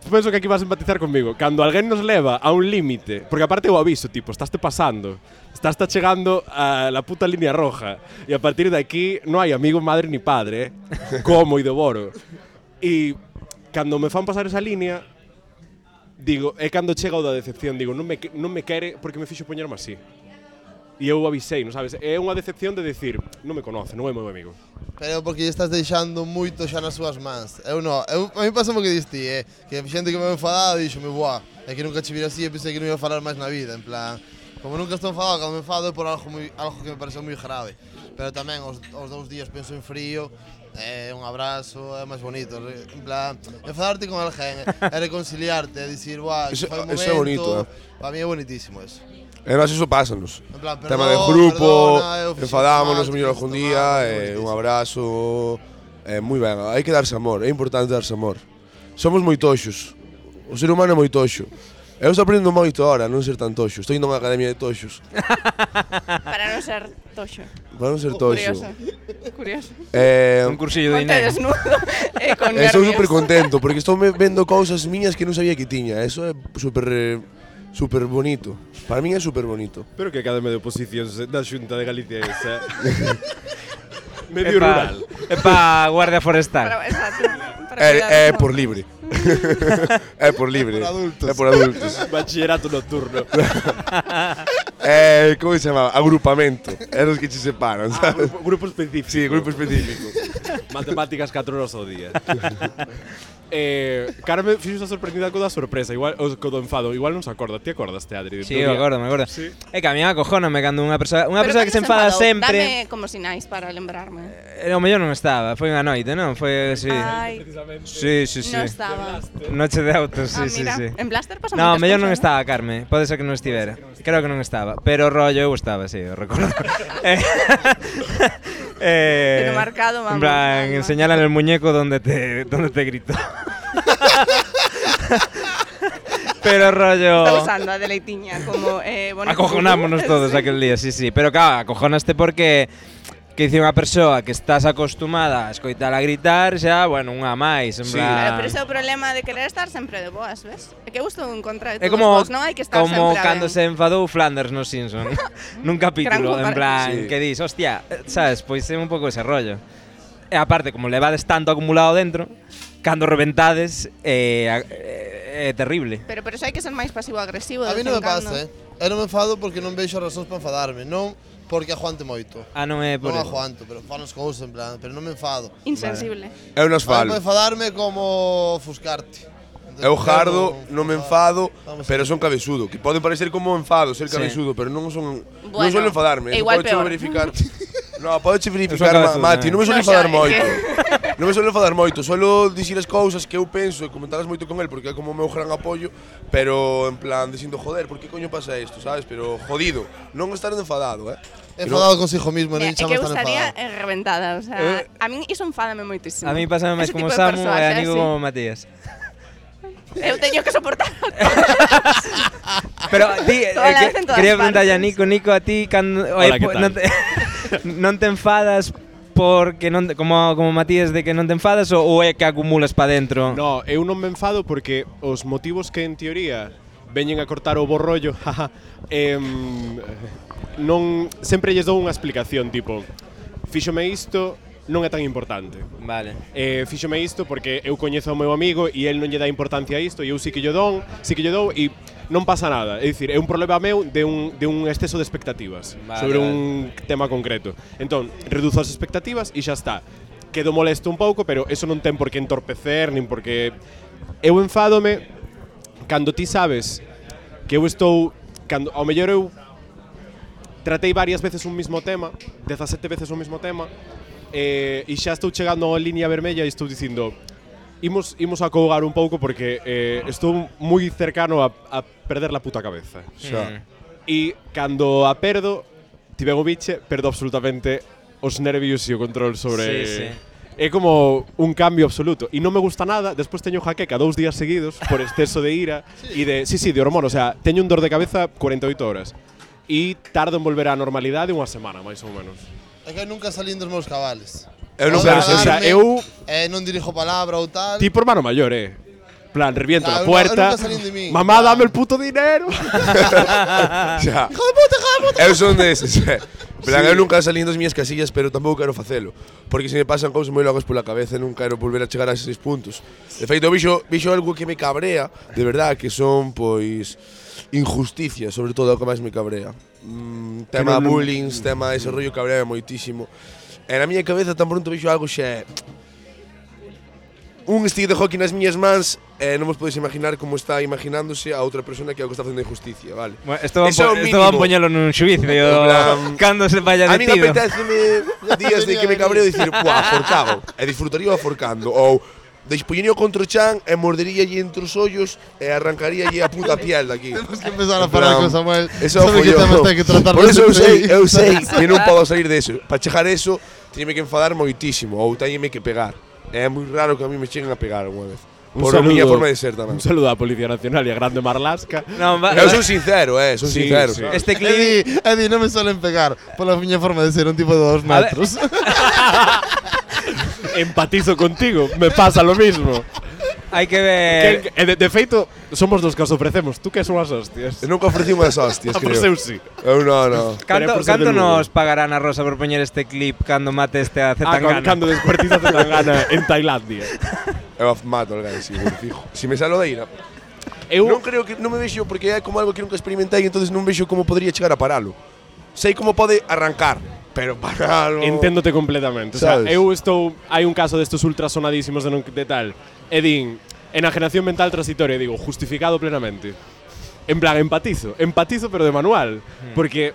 D: penso que aquí vas a empatizar conmigo. Cando alguén nos leva a un límite, porque aparte o aviso, tipo, estáste pasando, estás chegando a la puta línea roja, e a partir de aquí non hai amigo, madre ni padre, como e devoro. E cando me fan pasar esa línea, digo, é cando chega o da decepción, digo, non me quere porque me fixo poñerme así. E eu avisei, non sabes? É unha decepción de decir, non me conoce, non é meu amigo.
F: Pero porque lle estás deixando moito xa nas súas mans. Eu non, a mí pasou o que diste, que xente que me enfadado dixo-me, buah, é que nunca che vira así e pensei que non ia falar máis na vida, en plan, como nunca estou enfadado, cando me enfado é por algo que me pareceu moi grave. Pero tamén os 2 días penso en frío, un abrazo, é máis bonito, en plan, enfadarte con alguén, é reconciliarte, é dicir, buah, que foi un momento,
G: é bonito,
F: para mí é bonitísimo eso.
G: E nós iso pásanos.
F: En plan,
G: Tema de grupo, enfadámonos mellor algún día, un abrazo, moi ben, hai que darse amor, é importante darse amor. Somos moi toxos, o ser humano é moi toxo. Eu estou aprendendo moito ahora, non ser tan toxo, estou indo a unha academia de toxos.
B: Para non ser toxo.
G: Para non ser toxo.
B: Curioso.
C: Un cursillo de
B: Ponte
C: Inés.
B: desnudo, con
G: Estou
B: nervios.
G: super contento, porque estou vendo cousas miñas que non sabía que tiña, eso é super bonito. Para min é super bonito.
D: Pero que academia de oposicións da Xunta de Galicia é esa. Medio rural.
C: É pa Guardia Forestal.
B: Exacto.
G: É por libre. É por libre. É por adultos.
D: Bachillerato nocturno.
G: Como se chama? Agrupamento. É os que che separan, sabes?
D: Grupo específico.
G: Sí, grupo específico.
D: Matemáticas 4 horas ao día. Carme fixo esa sorprendida co da sorpresa, igual o co do enfado, igual non se acorda. Ti acordaste, Adri?
C: Sí, me acordo.
D: Sí.
C: É que a mí acojona-me cando unha persoa que se enfada sempre.
B: Dame como sinais para lembrarme.
C: O mellor non estaba, foi unha noite, non? Foi así.
B: Ai,
C: Sí.
B: non estaba.
C: Noche de autos, sí.
B: Mira, en Blaster pasa
C: No,
B: moitas
C: mellor non
B: cousas,
C: estaba Carme, pode ser que non estivera. Creo que non estaba, pero rollo eu estaba, sí, eu recordo.
B: Pero marcado, vamos.
C: En plan, enseñala el muñeco donde te gritó. Pero rollo...
B: Está usando a deleitiña como bonito.
C: Acojonámonos todos aquel día, sí. Pero claro, acojonaste porque que dice unha persoa que estás acostumada a escoitala gritar, xa, bueno, unha máis, en plan...
B: Pero ese é o problema de querer estar sempre de boas, ves? É que eu estou en contra de
C: É
B: todos
C: como,
B: vos, non hai que estar sempre
C: como
B: a
C: cando
B: ben.
C: se enfadou Flanders no Simpson. Nun capítulo,
B: Gran
C: en plan,
D: Sí.
C: que dis, hostia, sabes, pois é un pouco ese rollo. E aparte, como levades tanto acumulado dentro, cando reventades é terrible.
B: Pero eso hai que ser máis pasivo-agresivo.
F: A mí non me pasa, Eu non me enfado porque non veixo razóns para enfadarme, non porque aguante moito.
C: Non é por
F: Non
C: eso.
F: aguanto, pero fan as cousas en plan, pero non me enfado.
B: Insensible.
G: Eu nos
F: Para
G: falo.
F: enfadarme como ofuscarte.
G: Eu jardo, non me enfado,
F: Vamos
G: pero son cabezudo. Que pode parecer como enfado ser
C: Sí.
G: cabezudo, pero non son non
B: Bueno,
G: suelo enfadarme.
B: é igual
G: Podes
B: peor.
G: verificar. No, podes verificar,
C: Eu son cabezudo,
G: Mati, non me suelo
B: No, xa,
G: enfadar
B: é que-
G: moito. Non me suelo enfadar moito, suelo dicir as cousas que eu penso e comentalas moito con el porque é como o meu gran apoio, pero en plan dicindo, joder, por que coño pasa isto, sabes? Pero jodido, non estar enfadado,
F: Enfadado consigo mismo, non
B: É
F: chama
B: que eu
F: estar
B: estaría
F: enfadado.
B: reventada, o sea, a min iso enfádame moitísimo.
C: A mí pásame máis
B: Ese
C: como
B: tipo de
C: Samu e
B: persoas,
C: a Nico
B: así.
C: como Matías.
B: Eu teño que soportar.
C: Pero ti,
B: Toda la vez en todas
C: quería preguntarlle a
B: partes.
C: Nico, a ti cando
D: Hola, ¿qué tal?
C: non te enfadas porque non como Matías de que non te enfadas ou é que acumulas pa dentro?
D: No, eu non me enfado porque os motivos que en teoría veñen a cortar o borrollo, jaja, non sempre lles dou unha explicación, tipo, fíxome isto, non é tan importante.
C: Vale.
D: Fíxome isto porque eu coñezo ao meu amigo e el non lle dá importancia a isto e eu sí que lle dou e non pasa nada. É dicir, é un problema meu de un exceso de expectativas
C: Vale,
D: sobre
C: vale.
D: un tema concreto. Entón, reduzo as expectativas e xa está. Quedo molesto un pouco, pero eso non ten por que entorpecer, nin porque eu enfádome cando ti sabes que eu estou cando ao mellor eu tratei varias veces un mismo tema, 17 veces un mismo tema, e xa estou chegando a liña vermella e estou dicindo imos a cougar un pouco porque estou moi cercano a perder la puta cabeza.
G: Xa.
D: E cando a perdo, ti ben o biche, perdo absolutamente os nervios e o control sobre...
C: Sí, sí.
D: É como un cambio absoluto. E non me gusta nada, despois teño jaqueca 2 días seguidos por exceso de ira e de... Sí, de hormona, o sea, teño un dor de cabeza 48 horas. E tardo en volver á normalidade unha semana, máis ou menos.
F: É que eu nunca salín dos meus cabales.
G: Eu non
F: Podo
G: quero
D: O sea,
F: enfadarme,
D: eu...
F: non dirijo palabra ou tal.
D: Ti por mano mayor, plan, reviento
F: Claro,
D: la puerta.
F: eu nunca salín de mí.
D: Mamá,
F: Claro.
D: dame el puto dinero.
G: Xa. Eu son deses. Plan, eu nunca salín das miñas casillas, pero tampouco quero facelo. Porque se me pasan cousas moi locas pola cabeza, non quero volver a chegar a eses puntos. De feito, vixo algo que me cabrea, de verdad, que son, pois, injusticias, sobre todo, o que máis me cabrea. Tema bullying, tema ese rollo cabrea moitísimo. E na miña cabeza tan pronto vixo algo xa un stick de hockey nas miñas mans non vos podedes imaginar como está imaginándose a outra persona que é o que está facendo injusticia, vale?
C: Bueno, esto van,
G: Eso é o
C: esto van
G: mínimo.
C: poñelo nun xuicio
G: plan-
C: cando se vaya
G: A mí
C: detido.
G: apetéceme días de que me cabreo dicir, buah, forcago, e disfrutaría forcando, ou despoñería contra o chan e morderíalle entre os ollos e arrancaríalle a puta piel daqui.
F: Temos que empezar a falar con Samuel.
G: Eso
F: sobre
G: foi
F: que
G: yo.
F: temas ten que tratar
G: Por eso
F: neste
G: eu sei
F: país.
G: que non podo salir de eso. Para chegar a eso, teñeme que enfadar moitísimo ou teñeme que pegar. É moi raro que a mí me cheguen a pegar unha vez. Por a miña forma de ser tamén.
D: Un saludo á Policía Nacional e a Grande Marlasca.
C: No,
G: Eu son sincero, son
D: Sí,
G: sincero.
D: sí.
G: sabes?
C: Este clip
F: Eddie, non me suelen pegar pola miña forma de ser un tipo de 2
C: A ver.
F: metros.
D: Empatizo contigo, me pasa lo mismo.
C: hai que ver.
D: De feito, somos dos que os ofrecemos. Tú que son as hostias.
G: Eu nunca ofrecí unhas hostias,
D: Ah, por
G: creo.
D: seu sí.
G: Eu non.
C: Canto,
D: por ser
C: canto
D: de Lugo.
C: nos pagarán a Rosa por poñer este clip cando mate este a Zetangana?
D: Cando descuartiza Zetangana en Tailandia.
G: Eu mato al gay, fijo. Si me salo de ira.
D: Eu
G: Non creo que non me vexo porque é como algo que nunca experimentei, entonces non vexo como podría chegar a paralo. Sei como pode arrancar, pero paralo.
D: Enténdote completamente. O sea,
G: Sabes?
D: hai un caso destes ultrasonadísimos de tal. E din, enajenación mental transitoria, e digo, justificado plenamente. En plan, empatizo pero de manual, porque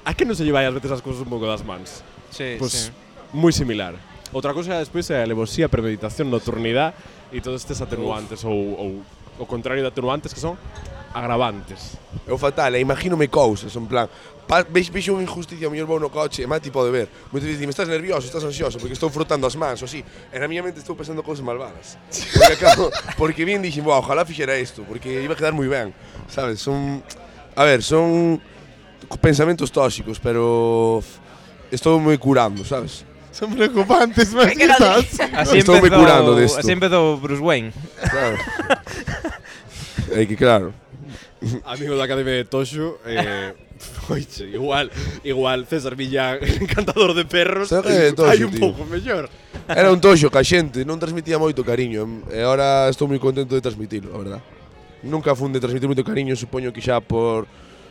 D: a que non se lleva as veces as cousas un pouco das mans.
C: Sí,
D: Pues moi similar. Outra cousa despois é a alevosía, premeditación, nocturnidade e todos estes atenuantes ou o contrario de atenuantes que son agravantes.
G: É o fatal, imagínome cousas, en plan, vexo unha injusticia, a mellor vou no coche, e Mati pode ver. Moitas veces dime, estás nervioso, estás ansioso, porque estou frotando as mans, ou así. E na miña mente estou pensando cousas malvadas. Porque, acabo, porque bien dixen, "Buah, ojalá fixera isto, porque iba a quedar moi ben", sabes? Son pensamentos tóxicos, pero estou moi curando, sabes?
F: Son preocupantes, mas
B: Que non
F: quizás.
C: Así
G: Estou me curando desto.
C: Así empezou Bruce Wayne.
G: Claro. É que claro.
D: amigo da Academia de Toxo, oiche, igual César Millán, encantador de perros,
G: Sabe de Toxo,
D: hai un
G: tío.
D: pouco mellor.
G: Era un toxo ca xente, non transmitía moito cariño. E agora estou moi contento de transmitilo, a verdad. Nunca fun de transmitir moito cariño, supoño que xa por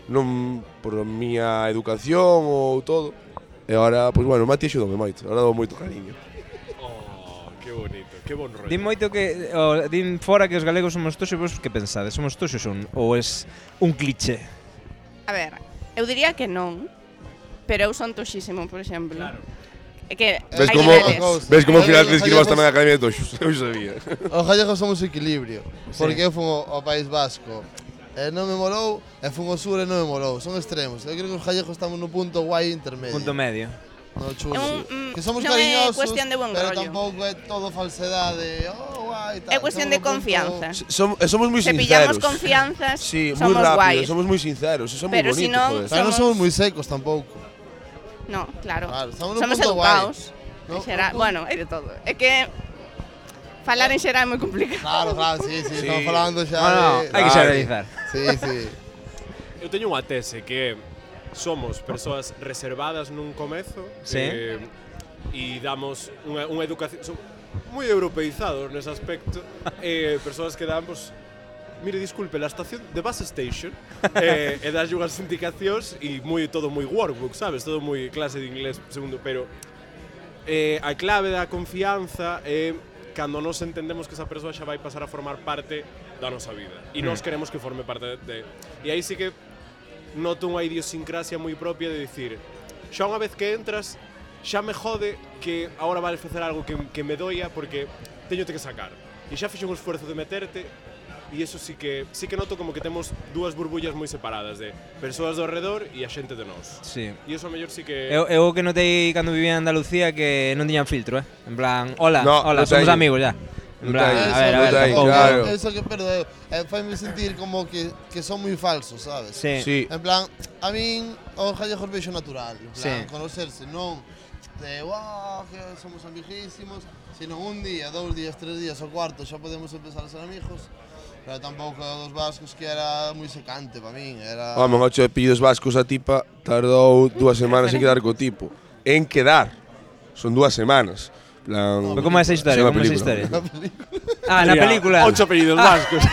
G: a miña educación ou todo. E agora, pois bueno, Mati axudoume moito. Agora dou moito cariño.
D: Oh, que bonito, que bon rollo.
C: Din moito que din fora que os galegos somos toxos, vos que pensades? Somos toxos ou es un cliché?
B: A ver, eu diría que non, pero eu son toxísimo, por exemplo. Claro. É que
G: Ves
B: hai
G: como,
B: niveles.
G: ves como ao final te inscribas tamén na Academia de Toxos. Eu sabía.
F: Os gallegos somos equilibrio, porque eu fun ao País Vasco e non me molou, e fun ao sur e non me molou. Son extremos. Eu creo que os gallegos estamos no punto guai intermedio.
C: Punto medio.
F: No chulo. Que somos
B: non é
F: cariñosos,
B: cuestión de buen
F: pero
B: rollo.
F: tampouco é todo falsedade. Oh, guai, tal.
B: É cuestión de
F: Estamos no punto-
B: confianza.
G: Somos moi
B: Se
G: sinceros.
B: pillamos confianzas,
G: Sí, moi
B: somos
G: rápido,
B: guais.
G: somos moi sinceros, eso é moi
B: Pero
G: bonito,
B: si non,
G: joder.
F: Pero non somos moi secos tampouco.
B: No, claro.
F: Claro, estamos no
B: Somos
F: punto
B: educados.
F: No,
B: En xeral,
F: no,
B: bueno, hai de todo. É que falar en xeral é moi complicado.
F: Claro, sí, estamos falando xa de...
C: Hai que xeralizar.
F: Sí, sí.
D: Eu teño unha tese que somos persoas reservadas nun comezo,
C: Sí.
D: E damos unha educación, son moi europeizados nese aspecto, persoas que dan, pues, mire, disculpe, la estación de bus station, e das unhas indicacións e todo moi workbook, sabes? Todo moi clase de inglés segundo, pero a clave da confianza é cando nos entendemos que esa persoa xa vai pasar a formar parte da nosa vida e nós queremos que forme parte de... E aí sí que noto unha idiosincrasia moi propia de dicir, xa unha vez que entras, xa me jode que agora vales facer algo que me doia porque teñote que sacar. E xa fixo un esforzo de meterte e iso sí que noto como que temos dúas burbullas moi separadas de persoas do redor e a xente de nós.
C: Sí.
D: E iso a mellor sí que...
C: Eu que notei cando vivía en Andalucía que non tiñan filtro, En plan, hola,
G: No,
C: hola,
G: non
C: somos
G: teño.
C: amigos ya. En plan,
G: teño.
C: a ver,
G: Eso,
C: tampouco.
G: claro.
F: Eso que perdo faime sentir como que son moi falsos, sabes?
C: Sí.
G: Sí.
F: En plan, a min os gallegos vexo natural, en plan,
C: Sí.
F: conocerse, non de, que somos amiguísimos, sino un día, 2 días, 3 días, o cuarto, xa podemos empezar a ser amigos. Pero tampouco dos vascos que era moi secante para min, era...
G: Home, 8 apellidos vascos a tipa tardou 2 semanas en quedar co tipo. En quedar. Son 2 semanas. Plan,
C: Pero como é esa historia?
G: xa na
C: Como é esa
G: película.
C: historia? Ah, na película.
D: 8 apellidos vascos.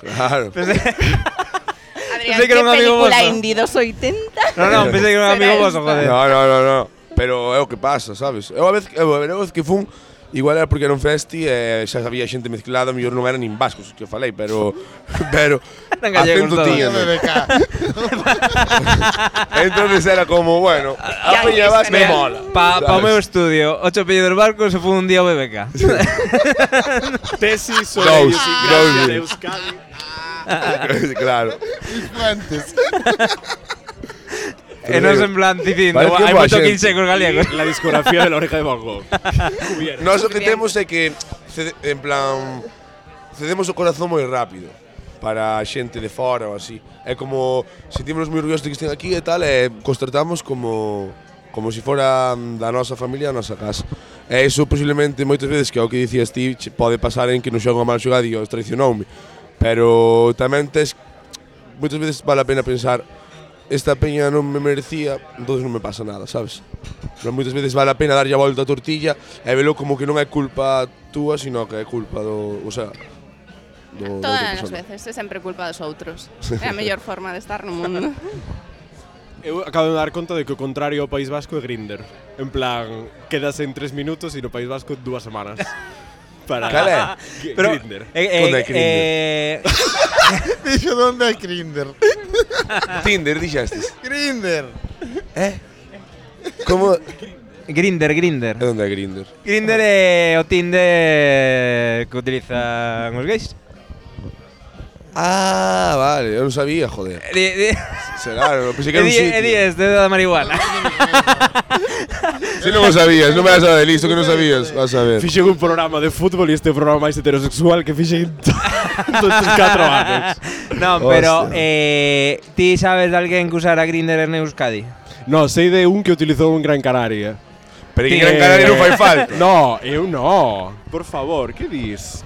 G: Claro.
B: Adrián,
C: Pensei que era un amigo
B: película
C: voso.
B: indie dos 80?
C: No, pensei que era un
B: Será
C: amigo voso,
B: esta.
C: joder.
G: No. Pero é o que pasa, sabes? Eu a vez que fun, igual era porque era un festi e xa había xente mezclada, mellor non eran nin vascos que falei, pero
C: Eran gallegos
G: acento
C: todos.
G: tiñan.
F: BBK.
G: Entonces era como, bueno, a peña vasca me mola.
C: Pa o
G: ¿sabes?
C: meu estudio, 8 apellidos barcos se foi un día ao BBK.
D: Tesis sobre
G: Dous,
D: idiosincrasia de
G: dous.
D: Euskadi.
G: Claro.
F: Fuentes.
C: E non en plan dicindo,
G: Parece
C: hai
G: boa
C: moito
G: xente.
C: quince cos galegos.
D: La discografía de la oreja de Van Gogh. Cubierta.
G: Nós o que temos é que, en plan, cedemos o corazón moi rápido para a xente de fora ou así. É como, sentímonos moi orgullosos de que estén aquí e tal, e cos tratamos como se fora da nosa familia, a nosa casa. E iso posiblemente moitas veces, que é o que dicías ti, pode pasar en que non xoga mal xogado e os traicionoume. Pero tamén moitas veces vale a pena pensar, esta peña non me merecía, entonces non me pasa nada, sabes? Pero moitas veces vale a pena darlle a volta a tortilla e velo como que non é culpa túa, sino que é culpa do, o sea, da outra
B: Todas as
G: persona.
B: veces, é sempre culpa dos outros. É a mellor forma de estar no mundo.
D: Eu acabo de dar conta de que o contrario ao País Vasco é Grindr. En plan, quedas en 3 minutos e no País Vasco 2 semanas. Para
G: Cal é?
C: Pero
D: Grindr.
G: Onde hai Grindr?
F: Dixo onde é Grindr.
G: Tinder, dixestes.
F: Grindr.
G: Como?
C: Grinder.
G: É onde é Grindr?
C: Grinder é o Tinder que utilizan os gays.
G: Ah, vale, eu non sabía, joder. Será, non pensei que era un
C: É
G: sitio.
C: este da marihuana.
G: Si non o sabías, non me vas a dar listo que non sabías, vas a ver.
D: Fixen un programa de fútbol e este programa máis heterosexual que fixen todos estes 4 anos.
C: Non, pero
G: Hostia.
C: ti sabes de alguén que usara Grinder en Euskadi?
D: No, sei de un que utilizou en Gran Canaria.
G: Pero que Gran Canaria non fai falta.
D: No, eu no. Por favor, que dis?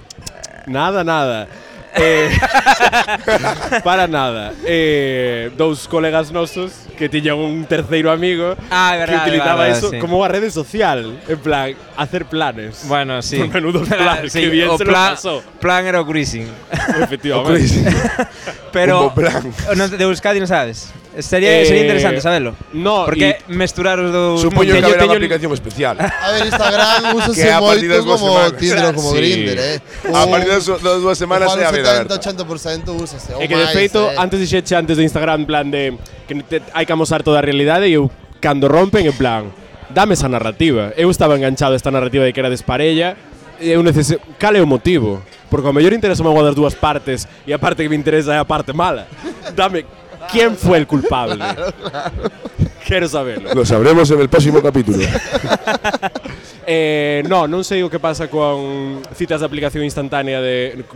D: Nada. Para nada. Dous colegas nosos que tiñan un terceiro amigo
C: É verdade,
D: que utilizaba
C: verdade,
D: eso
C: sí.
D: como unha rede social. En plan, hacer planes.
C: Bueno, sí.
D: Por menudos planes,
C: Sí,
D: que bien
C: o
D: se lo pasó.
C: plan era o cruising.
D: Efectivamente.
C: Pero
G: Como plan.
C: de Euskadi non sabes. Sería interesante sabelo.
D: No,
C: Porque mesturar os dous
G: Supoño que
C: mundos.
G: haberá unha aplicación especial.
F: A ver, Instagram úsase
G: Que a partir
F: moito
G: das dúas
F: como
G: semanas.
F: Tinder ou como
D: Sí.
F: Grindr,
G: A partir das 2 semanas é a vida aberta.
F: 70-80% úsase.
D: É que de feito, antes dixeche antes de Instagram, en plan de que hai que amosar toda a realidade e eu, cando rompen, en plan, dame esa narrativa. Eu estaba enganchado a esta narrativa de que era desparella e eu necesito... Cal é o motivo? Porque ao mellor interesa unha das dúas partes e a parte que me interesa é a parte mala. Dame, ¿quién fue el culpable? Quero saberlo.
G: Lo sabremos en el próximo capítulo.
D: Non sei o que pasa con citas de aplicación instantánea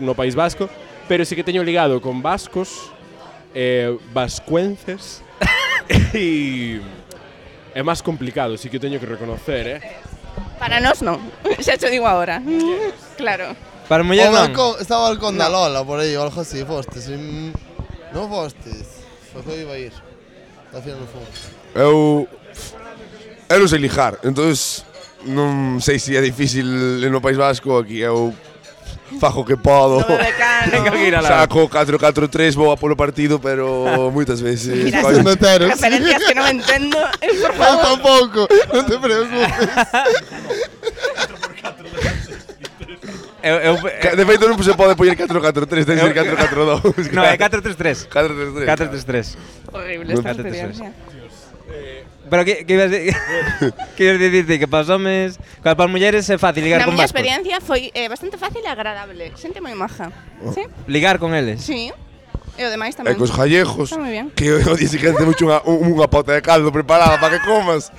D: no País Vasco, pero sí que teño ligado con vascos, vascuences e é máis complicado, sí que teño que reconocer,
B: Para nós non. Xa te digo agora. Claro.
C: Para muller non.
F: Estaba o balcón da Lola por aí, ou algo así, fostes. Non fostes. Pois eu iba a ir. Al final non fomos.
G: Eu non sei lijar, entonces non sei se é difícil no País Vasco. Aquí eu fajo que podo.
B: No decano.
G: Saco 4-4-3, vou a polo partido, pero moitas veces
B: Mira,
F: Son heteros.
B: referencias que non entendo. Por
F: Eu
B: favor.
F: tampouco, non te preocupes.
G: De feito non se pode poñer 4-4-3, ten que ser 4-4-2.
C: No, é 4-3-3.
G: 4-3-3.
C: 4-3-3.
B: Horrible esta
C: 4-3-3.
B: experiencia.
C: Pero que ibas a decir? Que ibas a dicirte que para os homes, para as mulleres é fácil ligar
B: Na
C: con
B: miña
C: vascos.
B: experiencia foi bastante fácil e agradable. Xente moi maja. Sí?
C: Ligar con eles.
B: Sí. E o demais
G: E
B: tamén.
G: cos gallegos,
B: Está moi bien.
G: que o día siguiente mucho unha pota de caldo preparada para que comas.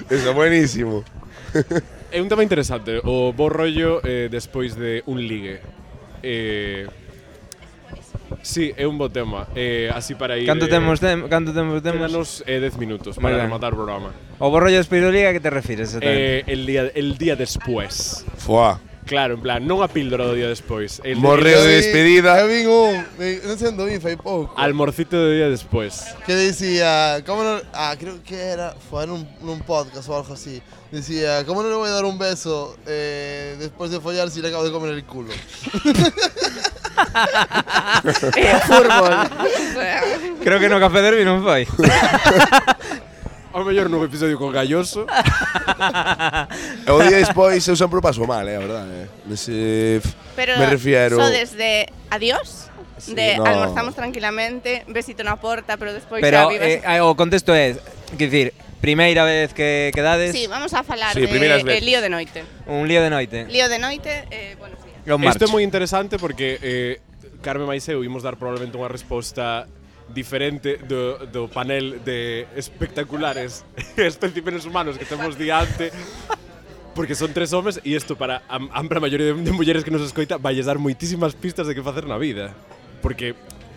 G: Eso é buenísimo.
D: É un tema interesante, o bo rollo despois de un ligue. Sí, é un bo tema. Así para ir...
C: Canto temos?
D: Quédanos 10 minutos
C: Moi
D: para
C: ben.
D: rematar o programa.
C: O borrollo de Espiroliga, a que te refires exactamente?
D: El día después.
G: Fuá.
D: Claro, en plan, non a píldora do día despois.
G: Morreo de despedida.
F: Eu vin non sei onde vin, fai pouco.
D: Almorcito do día despois.
F: Que dicía, como non... creo que era, foi nun podcast ou algo así. Decía, ¿cómo no le voy a dar un beso después de follar si le acabo de comer el culo?
B: Fútbol. O sea,
C: Creo que no Café Derby non foi.
D: Ao mellor nun episodio con Galloso.
G: E o día despois eu sempre paso mal, a verdade.
B: pero
G: Me refiero...
B: so desde adiós, de
G: no.
B: almorzamos tranquilamente, besito na porta, pero despois
C: Pero
B: xa vives...
C: o contexto é, quer dicir, primeira vez que quedades,
B: Sí, vamos a falar
G: Sí, primeiras
B: de
G: veces.
B: lío de noite.
C: un lío de noite.
B: Lío de noite, buenos días.
C: E un
D: Isto é
C: marcho.
D: moi interesante porque Carme máis eu imos dar probablemente unha resposta diferente do panel de espectaculares especímenes humanos que temos diante, porque son 3 homes e isto para a ampla maioría de mulleres que nos escoita vai dar moitísimas pistas de que facer na vida, porque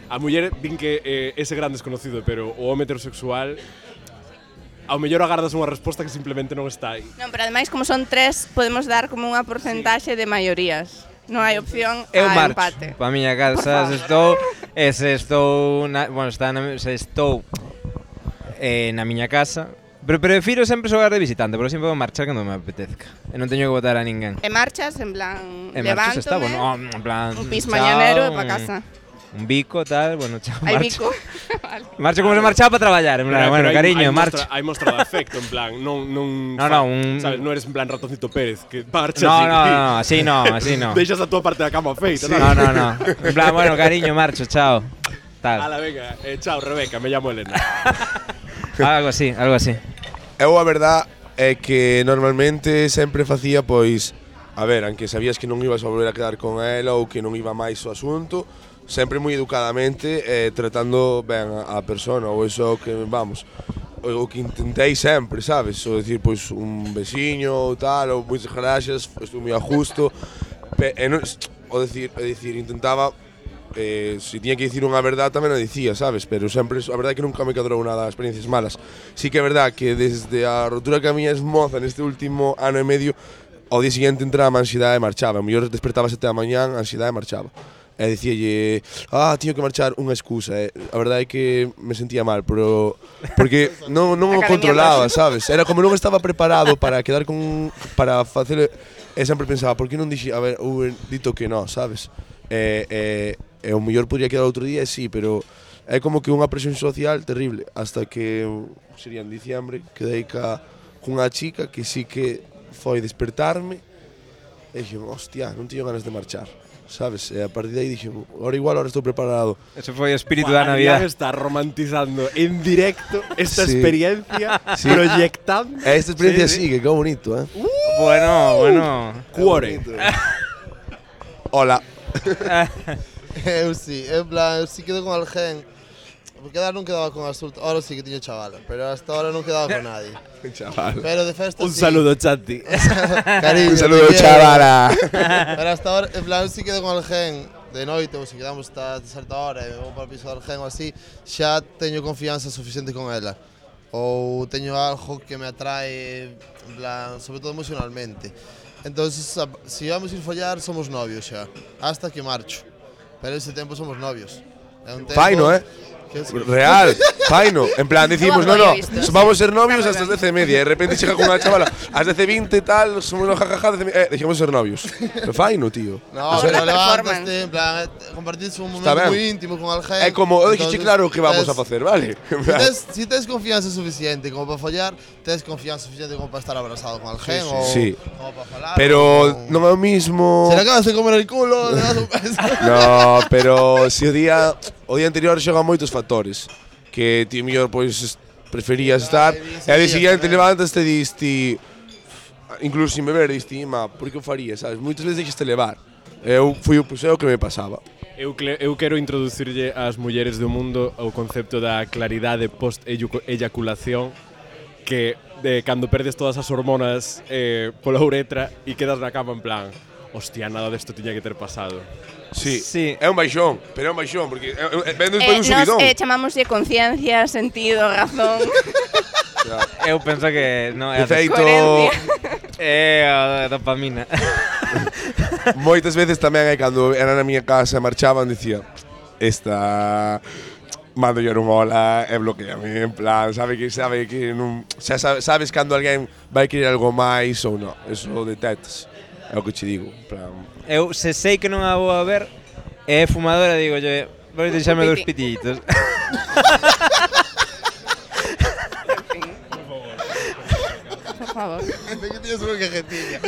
D: a muller din que ese gran desconocido, pero o home heterosexual ao mellor agardas unha resposta que simplemente non está aí.
B: Non, pero ademais, como son 3, podemos dar como unha porcentaxe de maiorías. Non hai opción
C: Eu
B: a
C: marcho
B: empate.
C: pa miña casa, se estou na miña casa, pero prefiro sempre xogar de visitante, porque sempre vou marchar cando me apetezca. E non teño que votar a ninguén.
B: E marchas, en plan,
C: E marchas está,
B: levántome,
C: bueno, en plan,
B: un pis
C: chao,
B: mañanero e pa casa.
C: Un bico, tal, bueno, chao,
B: Hai
C: marcho.
B: bico. Vale.
C: Marcho como se marchaba para traballar, en plan, bueno, cariño, marcho.
D: Hai mostra de afecto, en plan, non
C: un-
D: sabes, non eres en plan Ratoncito Pérez, que marchas
C: No, así no.
D: deixas a túa parte da cama feita,
C: No. En plan, bueno, cariño, marcho, chao. Tal.
D: Ala, venga, chao, Rebeca, me llamo Elena.
C: Algo así.
G: Eu a verdad é que normalmente sempre facía pois, a ver, aunque sabías que non ibas a volver a quedar con ela ou que non iba máis o asunto, sempre moi educadamente tratando ben a persona, ou eso que, vamos, o que intentei sempre, sabes? O decir, pois, un besiño ou tal, ou moitas gracias, estou moi a justo, o decir, intentaba, se tiña que dicir unha verdade tamén a dicía, sabes? Pero sempre, a verdade é que nunca me cadrou nada, experiencias malas. Sí que é verdade que desde a rotura que a miña esmoza neste último ano e medio, ao día seguinte entraba a ansiedade e marchaba. O mellor despertaba a 7 da mañán, a ansiedade e marchaba. E dicíalle, tío que marchar, unha excusa. A verdade é que me sentía mal, pero porque non o controlaba, sabes? Era como non estaba preparado para quedar para facer. E sempre pensaba, por que non dixi, dito que non, sabes? E o mellor podría quedar outro día, sí, pero é como que unha presión social terrible. Hasta que sería en diciembre, quedei cunha chica que sí que foi despertarme e dixen, hostia, non teño ganas de marchar, sabes? E a partir de aí dixen, ahora estou preparado.
C: Ese foi o espírito da Navidad.
D: Está romantizando en directo esta experiencia, proyectando.
G: Esta experiencia sí, que qué bonito, ¿eh?
C: Bueno.
D: Cuore.
G: Hola.
F: Eu sí, en plan, sí quedo con alguén. Porque non quedaba con Asulta, ahora sí que tiño chavala, pero hasta ahora non quedaba con nadie.
G: Chaval.
F: Pero de festa
D: Un
F: sí.
D: saludo, Chanti.
F: Cariño,
G: Un saludo,
F: te quiero.
G: chavala.
F: Pero hasta ahora, en plan, sí quedo con alguén de noite, ou se quedamos hasta certa hora e vou para o piso de alguén ou así, xa teño confianza suficiente con ela. Ou teño algo que me atrae, en plan, sobre todo emocionalmente. Entonces, se vamos a ir follar, somos novios xa, hasta que marcho. Pero ese tempo somos novios. É un tempo
G: Faino, Real, faino. En plan, decimos, no, vamos a ser novios hasta las 10:30. De repente llega con una chavala, a las 10:20 y tal, somos los jajaja, dejemos ser novios. Pero faino, tío.
F: No, pero levantaste, en plan, compartís un momento muy íntimo con alguén.
G: É como, eu dixi claro que vamos a facer, vale?
F: Si tes confianza suficiente como para follar, tes confianza suficiente como para estar abrazado con alguén ou como para falar.
G: Pero non é o mismo.
F: Se le acabas de comer el culo, le das un beso.
G: No, pero si o día anterior xogan moitos factores que ti mellor pois preferías estar e ao día seguinte levantas e diste incluso sin beber diste, por que o faría, sabes? Moitas veces deixaste levar. Eu fui o que me pasaba.
D: Eu quero introducirlle ás mulleres do mundo o concepto da claridade post-eyaculación que cando perdes todas as hormonas pola uretra e quedas na cama en plan hostia, nada desto tiña que ter pasado.
G: Sí, é un baixón, pero é un baixón porque ven despois un subidón.
B: Nos chamamoslle conciencia, sentido, razón.
C: Eu penso que non é
G: de feito
C: é a dopamina.
G: Moitas veces tamén é cando era na miña casa e marchaban dicía esta mando yo non mola e bloqueame en plan, sabe que non sabes cando alguén vai querer algo máis ou non, eso detectas. É o que che digo, en plan.
C: Eu se sei que non a vou a ver é fumadora, digo, vou deixarme dos pitillitos.
B: Por favor.
F: Que tienes unha cajetilla.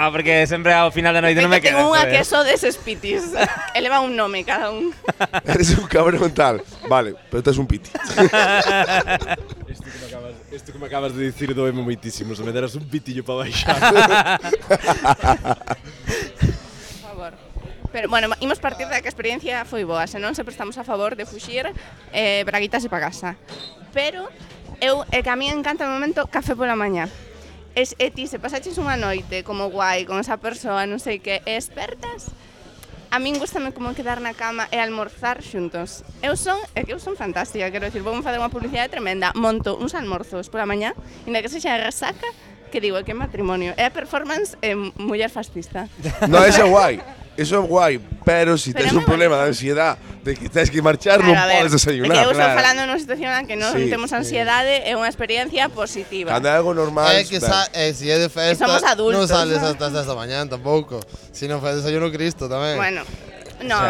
C: Porque sempre ao final da noite non me queda.
B: Tengo unha que só deses pitis. Eleva un nome cada un.
G: Eres un cabrón tal. Vale, pero tes un piti.
D: Isto que me acabas de dicir doeme moitísimo. Se me deras un pitillo para baixar.
B: Por favor. Pero, bueno, imos partir da que a experiencia foi boa. Senón, sempre estamos a favor de fuxir braguitas e pa casa. Pero, que a mí encanta o momento café pola mañá. E ti, se pasaches unha noite como guai con esa persoa, non sei que, e espertas, a min gustame como quedar na cama e almorzar xuntos. Eu son fantástica, quero dicir, vou facer unha publicidade tremenda. Monto uns almorzos pola mañá, inda que sexa resaca, que digo, que matrimonio. É a performance muller fascista.
G: No, eso é guai, pero si tens un problema de ansiedade de que tens que marchar, non podes desayunar.
B: É que eu estou falando nunha situación na que non temos ansiedade, é unha experiencia positiva.
G: Cando é algo normal,
F: é que si é de festa,
B: somos adultos,
F: non sales hasta as 10 da mañán tampouco. Si non fai desayuno Cristo tamén.
B: Bueno,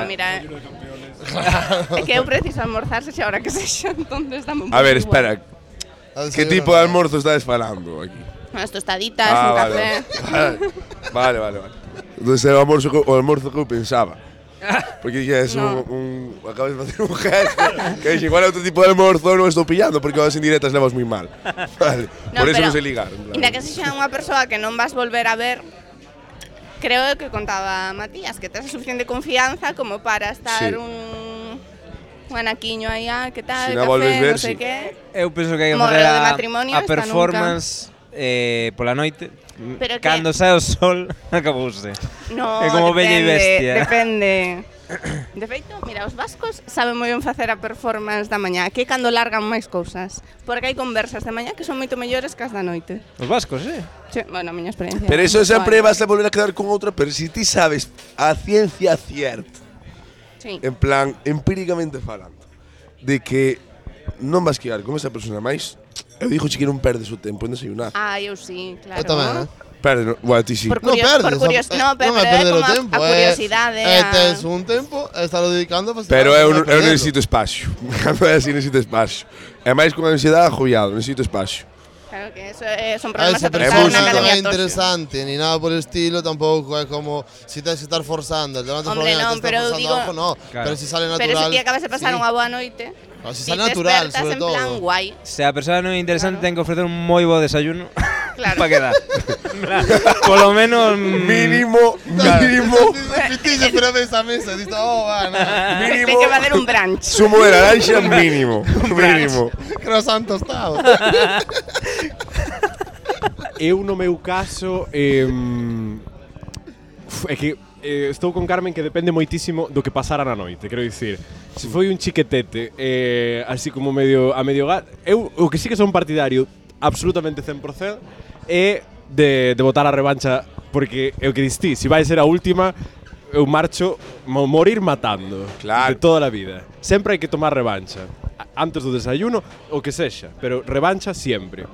B: mira, é que eu preciso almorzar se xa hora que sexa, entonces dame un pouco.
G: A ver, espera. Que tipo de almorzo estás falando aquí?
B: Unhas tostaditas, un café.
G: Vale. Entonces era o almorzo que eu pensaba. Porque dije, acabas de facer un gesto que dije, igual é outro tipo de almorzo non estou pillando porque as indirectas levas moi mal. Vale, por eso non sei ligar.
B: Inda que sexa unha persoa que non vas volver a ver, creo que contaba Matías, que tes a suficiente confianza como para estar un anaquiño aí, que tal, café, non sei que.
C: Eu penso que hai que fazer a performance pola noite. Cando sae o sol, acabouse.
B: No,
C: é como bella e bestia.
B: Depende. De feito, mira, os vascos saben moi ben facer a performance da mañá, que é cando largan máis cousas. Porque hai conversas de mañá que son moito mellores que as da noite.
C: Os vascos,
B: Sí, bueno, a miña experiencia.
G: Pero eso sempre vas a volver a quedar con outra, pero si ti sabes a ciencia cierta,
B: Sí.
G: en plan, empíricamente falando, de que non vas quedar con esa persona máis, eu dixo que non perdes o tempo en desayunar.
B: Eu sí, claro.
F: Eu tamén,
G: Perde, no, bueno, ti sí.
B: Por
F: Non perdes,
B: por curios, no, pero
F: non é perder o
B: como
F: tempo,
B: a curiosidade.
F: tes un tempo e estás dedicando a
G: Pero eu necesito espacio. Cando é así necesito espacio. É máis con ansiedade agobiado, necesito espacio.
B: Claro que eso son problemas
F: Se
B: a
F: a
B: tratar
F: persona
B: na
F: non
B: academia
F: é
B: Toxo.
F: interesante ni nada por el estilo, tampouco é como si tens que estar forzando.
B: Hombre, non, pero eu digo-
F: algo, no.
C: Claro.
F: Pero si sale natural.
B: Pero se ti acabas de pasar
F: sí.
B: unha boa noite,
F: No, si
B: ti
F: sale
B: te
F: natural,
B: despertas
F: sobre
B: en plan
F: todo.
B: guai.
C: Se a persoa non é interesante,
B: Claro.
C: ten que ofrecer un moi bo desayuno
B: Claro.
C: para quedar. Polo menos
G: Mínimo.
F: Pitillo, pero ves a mesa, dices, va, nada.
B: Ten que facer un brunch.
G: Zumo de naranja mínimo. Mínimo.
F: Croissant tostado.
D: Eu no meu caso é que estou con Carmen que depende moitísimo do que pasara na noite, quero dicir. Se foi un chiquetete, así como medio a medio gat, eu o que sí que son partidario absolutamente 100% é de botar a revancha, porque é o que distí, se vai ser a última, eu marcho morir matando.
G: Claro.
D: De toda a vida. Sempre hai que tomar revancha. Antes do desayuno, o que sexa, pero revancha sempre.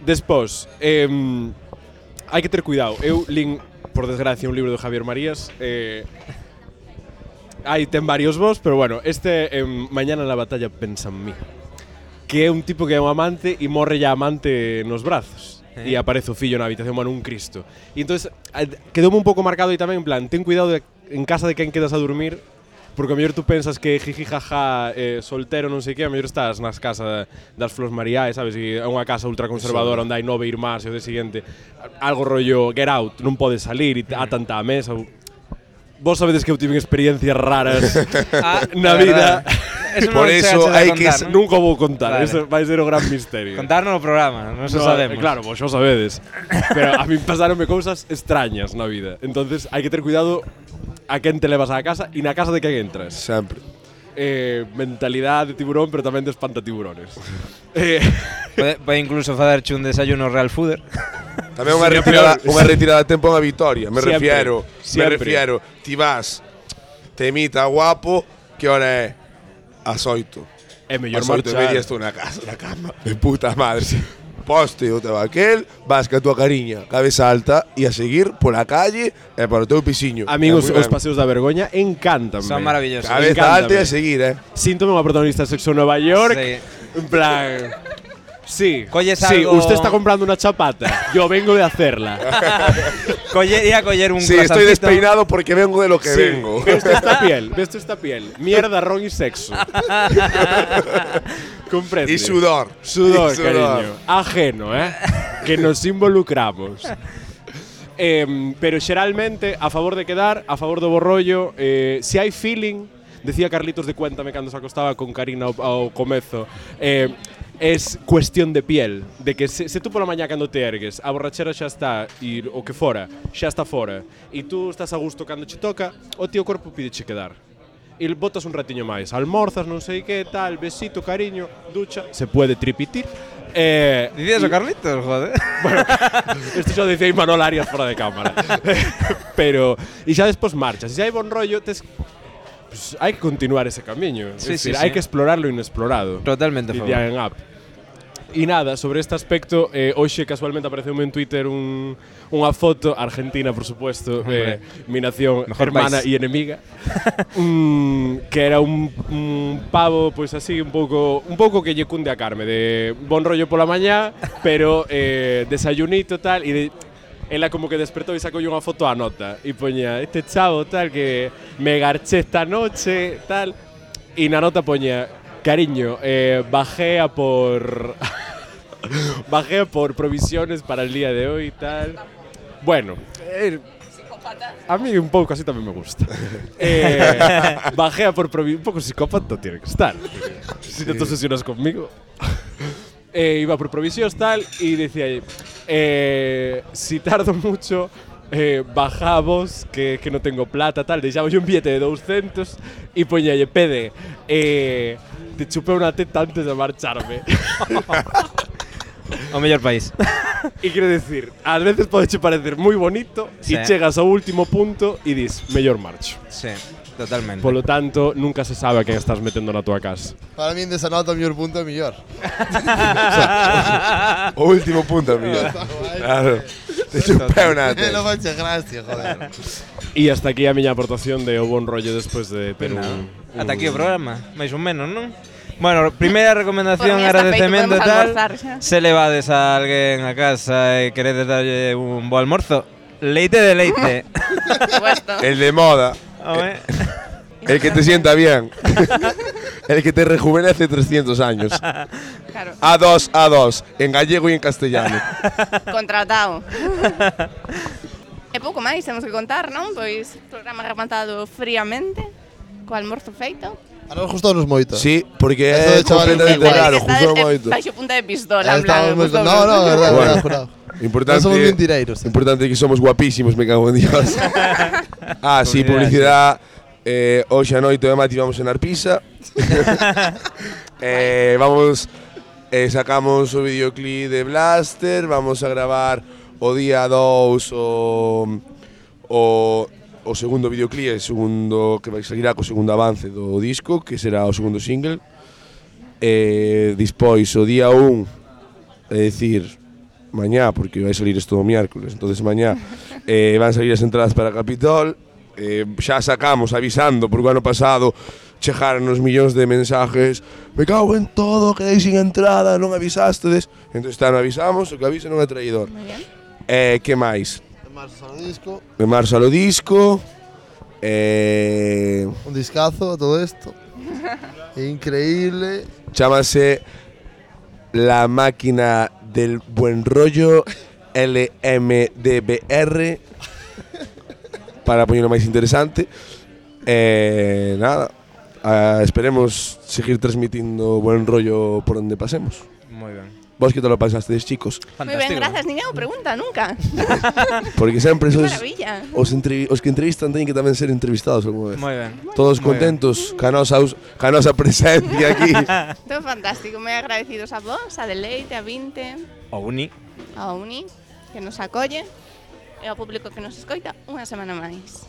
D: Despois, hai que ter cuidado. Eu lin, por desgracia, un libro de Javier Marías. Aí ten varios vos, pero bueno, este Mañana na batalla pensa en mí. Que é un tipo que é un amante e morre ya amante nos brazos. E aparece o fillo na habitación, bueno, un Cristo. E entonces quedoume un pouco marcado aí tamén, en plan, ten cuidado en casa de quen quedas a dormir, porque a mellor tú pensas que jiji jaja soltero non sei que, a mellor estás nas casas das Flores Mariaes, sabes, e é unha casa ultraconservadora onde hai 9 irmás e o de seguinte algo rollo Get Out, non podes salir e atan-te á mesa. Vos sabedes que eu tive experiencias raras na vida.
C: Eso
G: Por eso hai que
D: Nunca vou contar,
C: Vale.
D: eso vai ser o gran misterio.
C: Contarnos no programa, non se
D: No,
C: sabemos.
D: Claro, vos xo sabedes. Pero a mí pasaronme cousas extrañas na vida. Entonces hai que ter cuidado a quen te levas á casa e na casa de quen entras.
G: Sempre.
D: Mentalidade de tiburón, pero tamén de espantatiburones.
C: Pode incluso facerche un desayuno real fooder.
G: Tamén unha
D: Siempre.
G: retirada de tempo en Vitoria. Me
D: Siempre.
G: refiero. Ti vas, te imita guapo, que hora é? As 8.
D: É mellor
G: As 8 e
D: marchar.
G: media estou na casa, na cama. De puta madre. Poste o teu aquel, vas ca tua cariña, cabeza alta e a seguir pola calle e para o teu pisiño.
D: Amigos,
G: Moi
D: os
G: ben.
D: paseos da vergoña encantan.
C: Son maravillosos.
G: Cabeza
D: Encántame.
G: alta e a seguir,
D: Síntome unha protagonista de Sexo en Nueva York.
C: Sí.
D: En plan... Sí,
C: Colles
D: sí,
C: algo-
D: usted está comprando una chapata. Yo vengo de hacerla.
C: Iría a coller un
G: Sí, estoy
C: croissancito.
G: despeinado porque vengo de lo que
D: Sí,
G: vengo.
D: ¿Ves esta piel? ¿Ves esta piel? Mierda, ron y sexo. Comprende.
G: Y sudor.
D: Sudor,
G: Y sudor.
D: cariño. Ajeno, que nos involucramos. Pero xeralmente, a favor de quedar, a favor do borrollo, se hai feeling, decía Carlitos de Cuéntame cando se acostaba con Karina ao comezo, es cuestión de piel, de que se tú pola mañá cando te ergues, a borrachera xa está e o que fora, xa está fora, e tú estás a gusto cando che toca, o tío corpo pídeche quedar. E botas un ratiño máis, almorzas, non sei que, tal, besito, cariño, ducha, se puede tripitir.
C: Dicías o Carlitos, joder.
D: Isto xa dicía Imanol Arias fora de cámara. Pero, e xa despois marchas, e se hai bon rollo, pues, hai que continuar ese camiño.
C: Sí,
D: Es decir,
C: sí,
D: hai
C: sí.
D: que explorar lo inexplorado.
C: Totalmente a favor.
D: Dirían en app. E nada, sobre este aspecto, hoxe casualmente apareceume en Twitter unha foto, Argentina, por supuesto, mi nación
C: Mejor
D: hermana
C: país.
D: e enemiga, que era un pavo, pois así, un pouco que lle cunde a Carme, de bon rollo pola mañá, pero desayunito tal, e de, ela como que despertou e sacou unha foto a nota, e poña, este chavo tal, que me garché esta noche, tal, e na nota poña, cariño, bajé a por provisiones para el día de hoy y tal. Bueno, a mí un pouco así tamén me gusta. Bajé a por provisiones, un pouco psicópata tiene que estar. Si no te obsesionas conmigo. Iba por provisións tal y decía, si tardo mucho, bajamos, que non tengo plata, tal, deixamos un billete de 200 e poñalle, pede, te chupé unha teta antes de marcharme.
C: O mellor país.
D: E quero decir, ás veces pode che parecer moi bonito
C: Sí.
D: e chegas ao último punto e dis, mellor marcho.
C: Sí, totalmente.
D: Polo tanto, nunca se sabe a quen estás metendo na tua casa.
F: Para min desa nota o mellor punto é mellor.
G: O último punto, amigo. Claro. Te chupé unha
F: Non
G: teta.
F: fache gracia, joder.
D: E hasta aquí a miña aportación de o bon rollo despois de ter un...
C: Ata aquí o programa, máis ou menos, non? Bueno, primeira recomendación,
B: Por mí está
C: agradecemento e
B: feito,
C: tal.
B: podemos almorzar xa.
C: Se levades a alguén a casa e queredes darlle un bo almorzo, leite de leite.
B: Por supuesto.
G: El de moda.
C: Home.
G: El que te sienta bien. El que te rejuvenece 300 años.
B: Claro,
G: A2, en gallego e en castellano.
B: contratado. E pouco máis temos que contar, non? Pois programa rematado fríamente, co almorzo feito.
F: A nos gustounos moito.
G: Sí, porque
F: Eso
G: é
F: de chaval
G: completamente
F: infantil.
G: raro,
B: Está
G: gustou moito.
B: baixo punta de pistola, en
F: Estamos
B: plan,
F: moi...
B: gustounos.
F: No, verdad,
G: Bueno.
F: verdad, jurado.
G: Importante,
F: Non somos mentireiros.
G: importante que somos guapísimos, me cago en Dios. Sí, publicidad. Hoxe a noite de Mati vamos en Arpisa. Vamos, sacamos o videoclip de Blaster, vamos a gravar o día 2 o segundo videoclip, o segundo que vai salir co segundo avance do disco, que será o segundo single. Despois o día 1, é dicir, mañá, porque vai salir isto o miércoles, entonces mañá van salir as entradas para Capitol. Xa sacamos avisando, porque o ano pasado chegaron uns millóns de mensajes, me cago en todo, quedei sin entrada, non avisastedes. Entón este ano avisamos, o que avisa non é traidor.
B: Moi bien.
G: Que máis?
F: En marzo sale o disco,
G: En marzo ao disco.
F: un discazo, todo isto. Increíble.
G: Chámase La Máquina del Buen Rollo, LMDBR, para poñerlo máis interesante. Nada, esperemos seguir transmitindo buen rollo por onde pasemos.
C: Moi ben.
G: Vos que te lo pasastedes, chicos?
B: Moi ben, grazas, ninguén o pregunta nunca.
G: Porque sempre
B: Que
G: sois
B: maravilla.
G: os que entrevistan teñen que tamén ser entrevistados algunha vez.
C: Moi ben.
G: Todos
C: Moi ben.
G: contentos ca nosa presencia aquí.
B: Todo fantástico, moi agradecidos a vos, a Deleite, a Vinte,
C: O uni.
B: a Uni, que nos acolle, e ao público que nos escoita unha semana máis.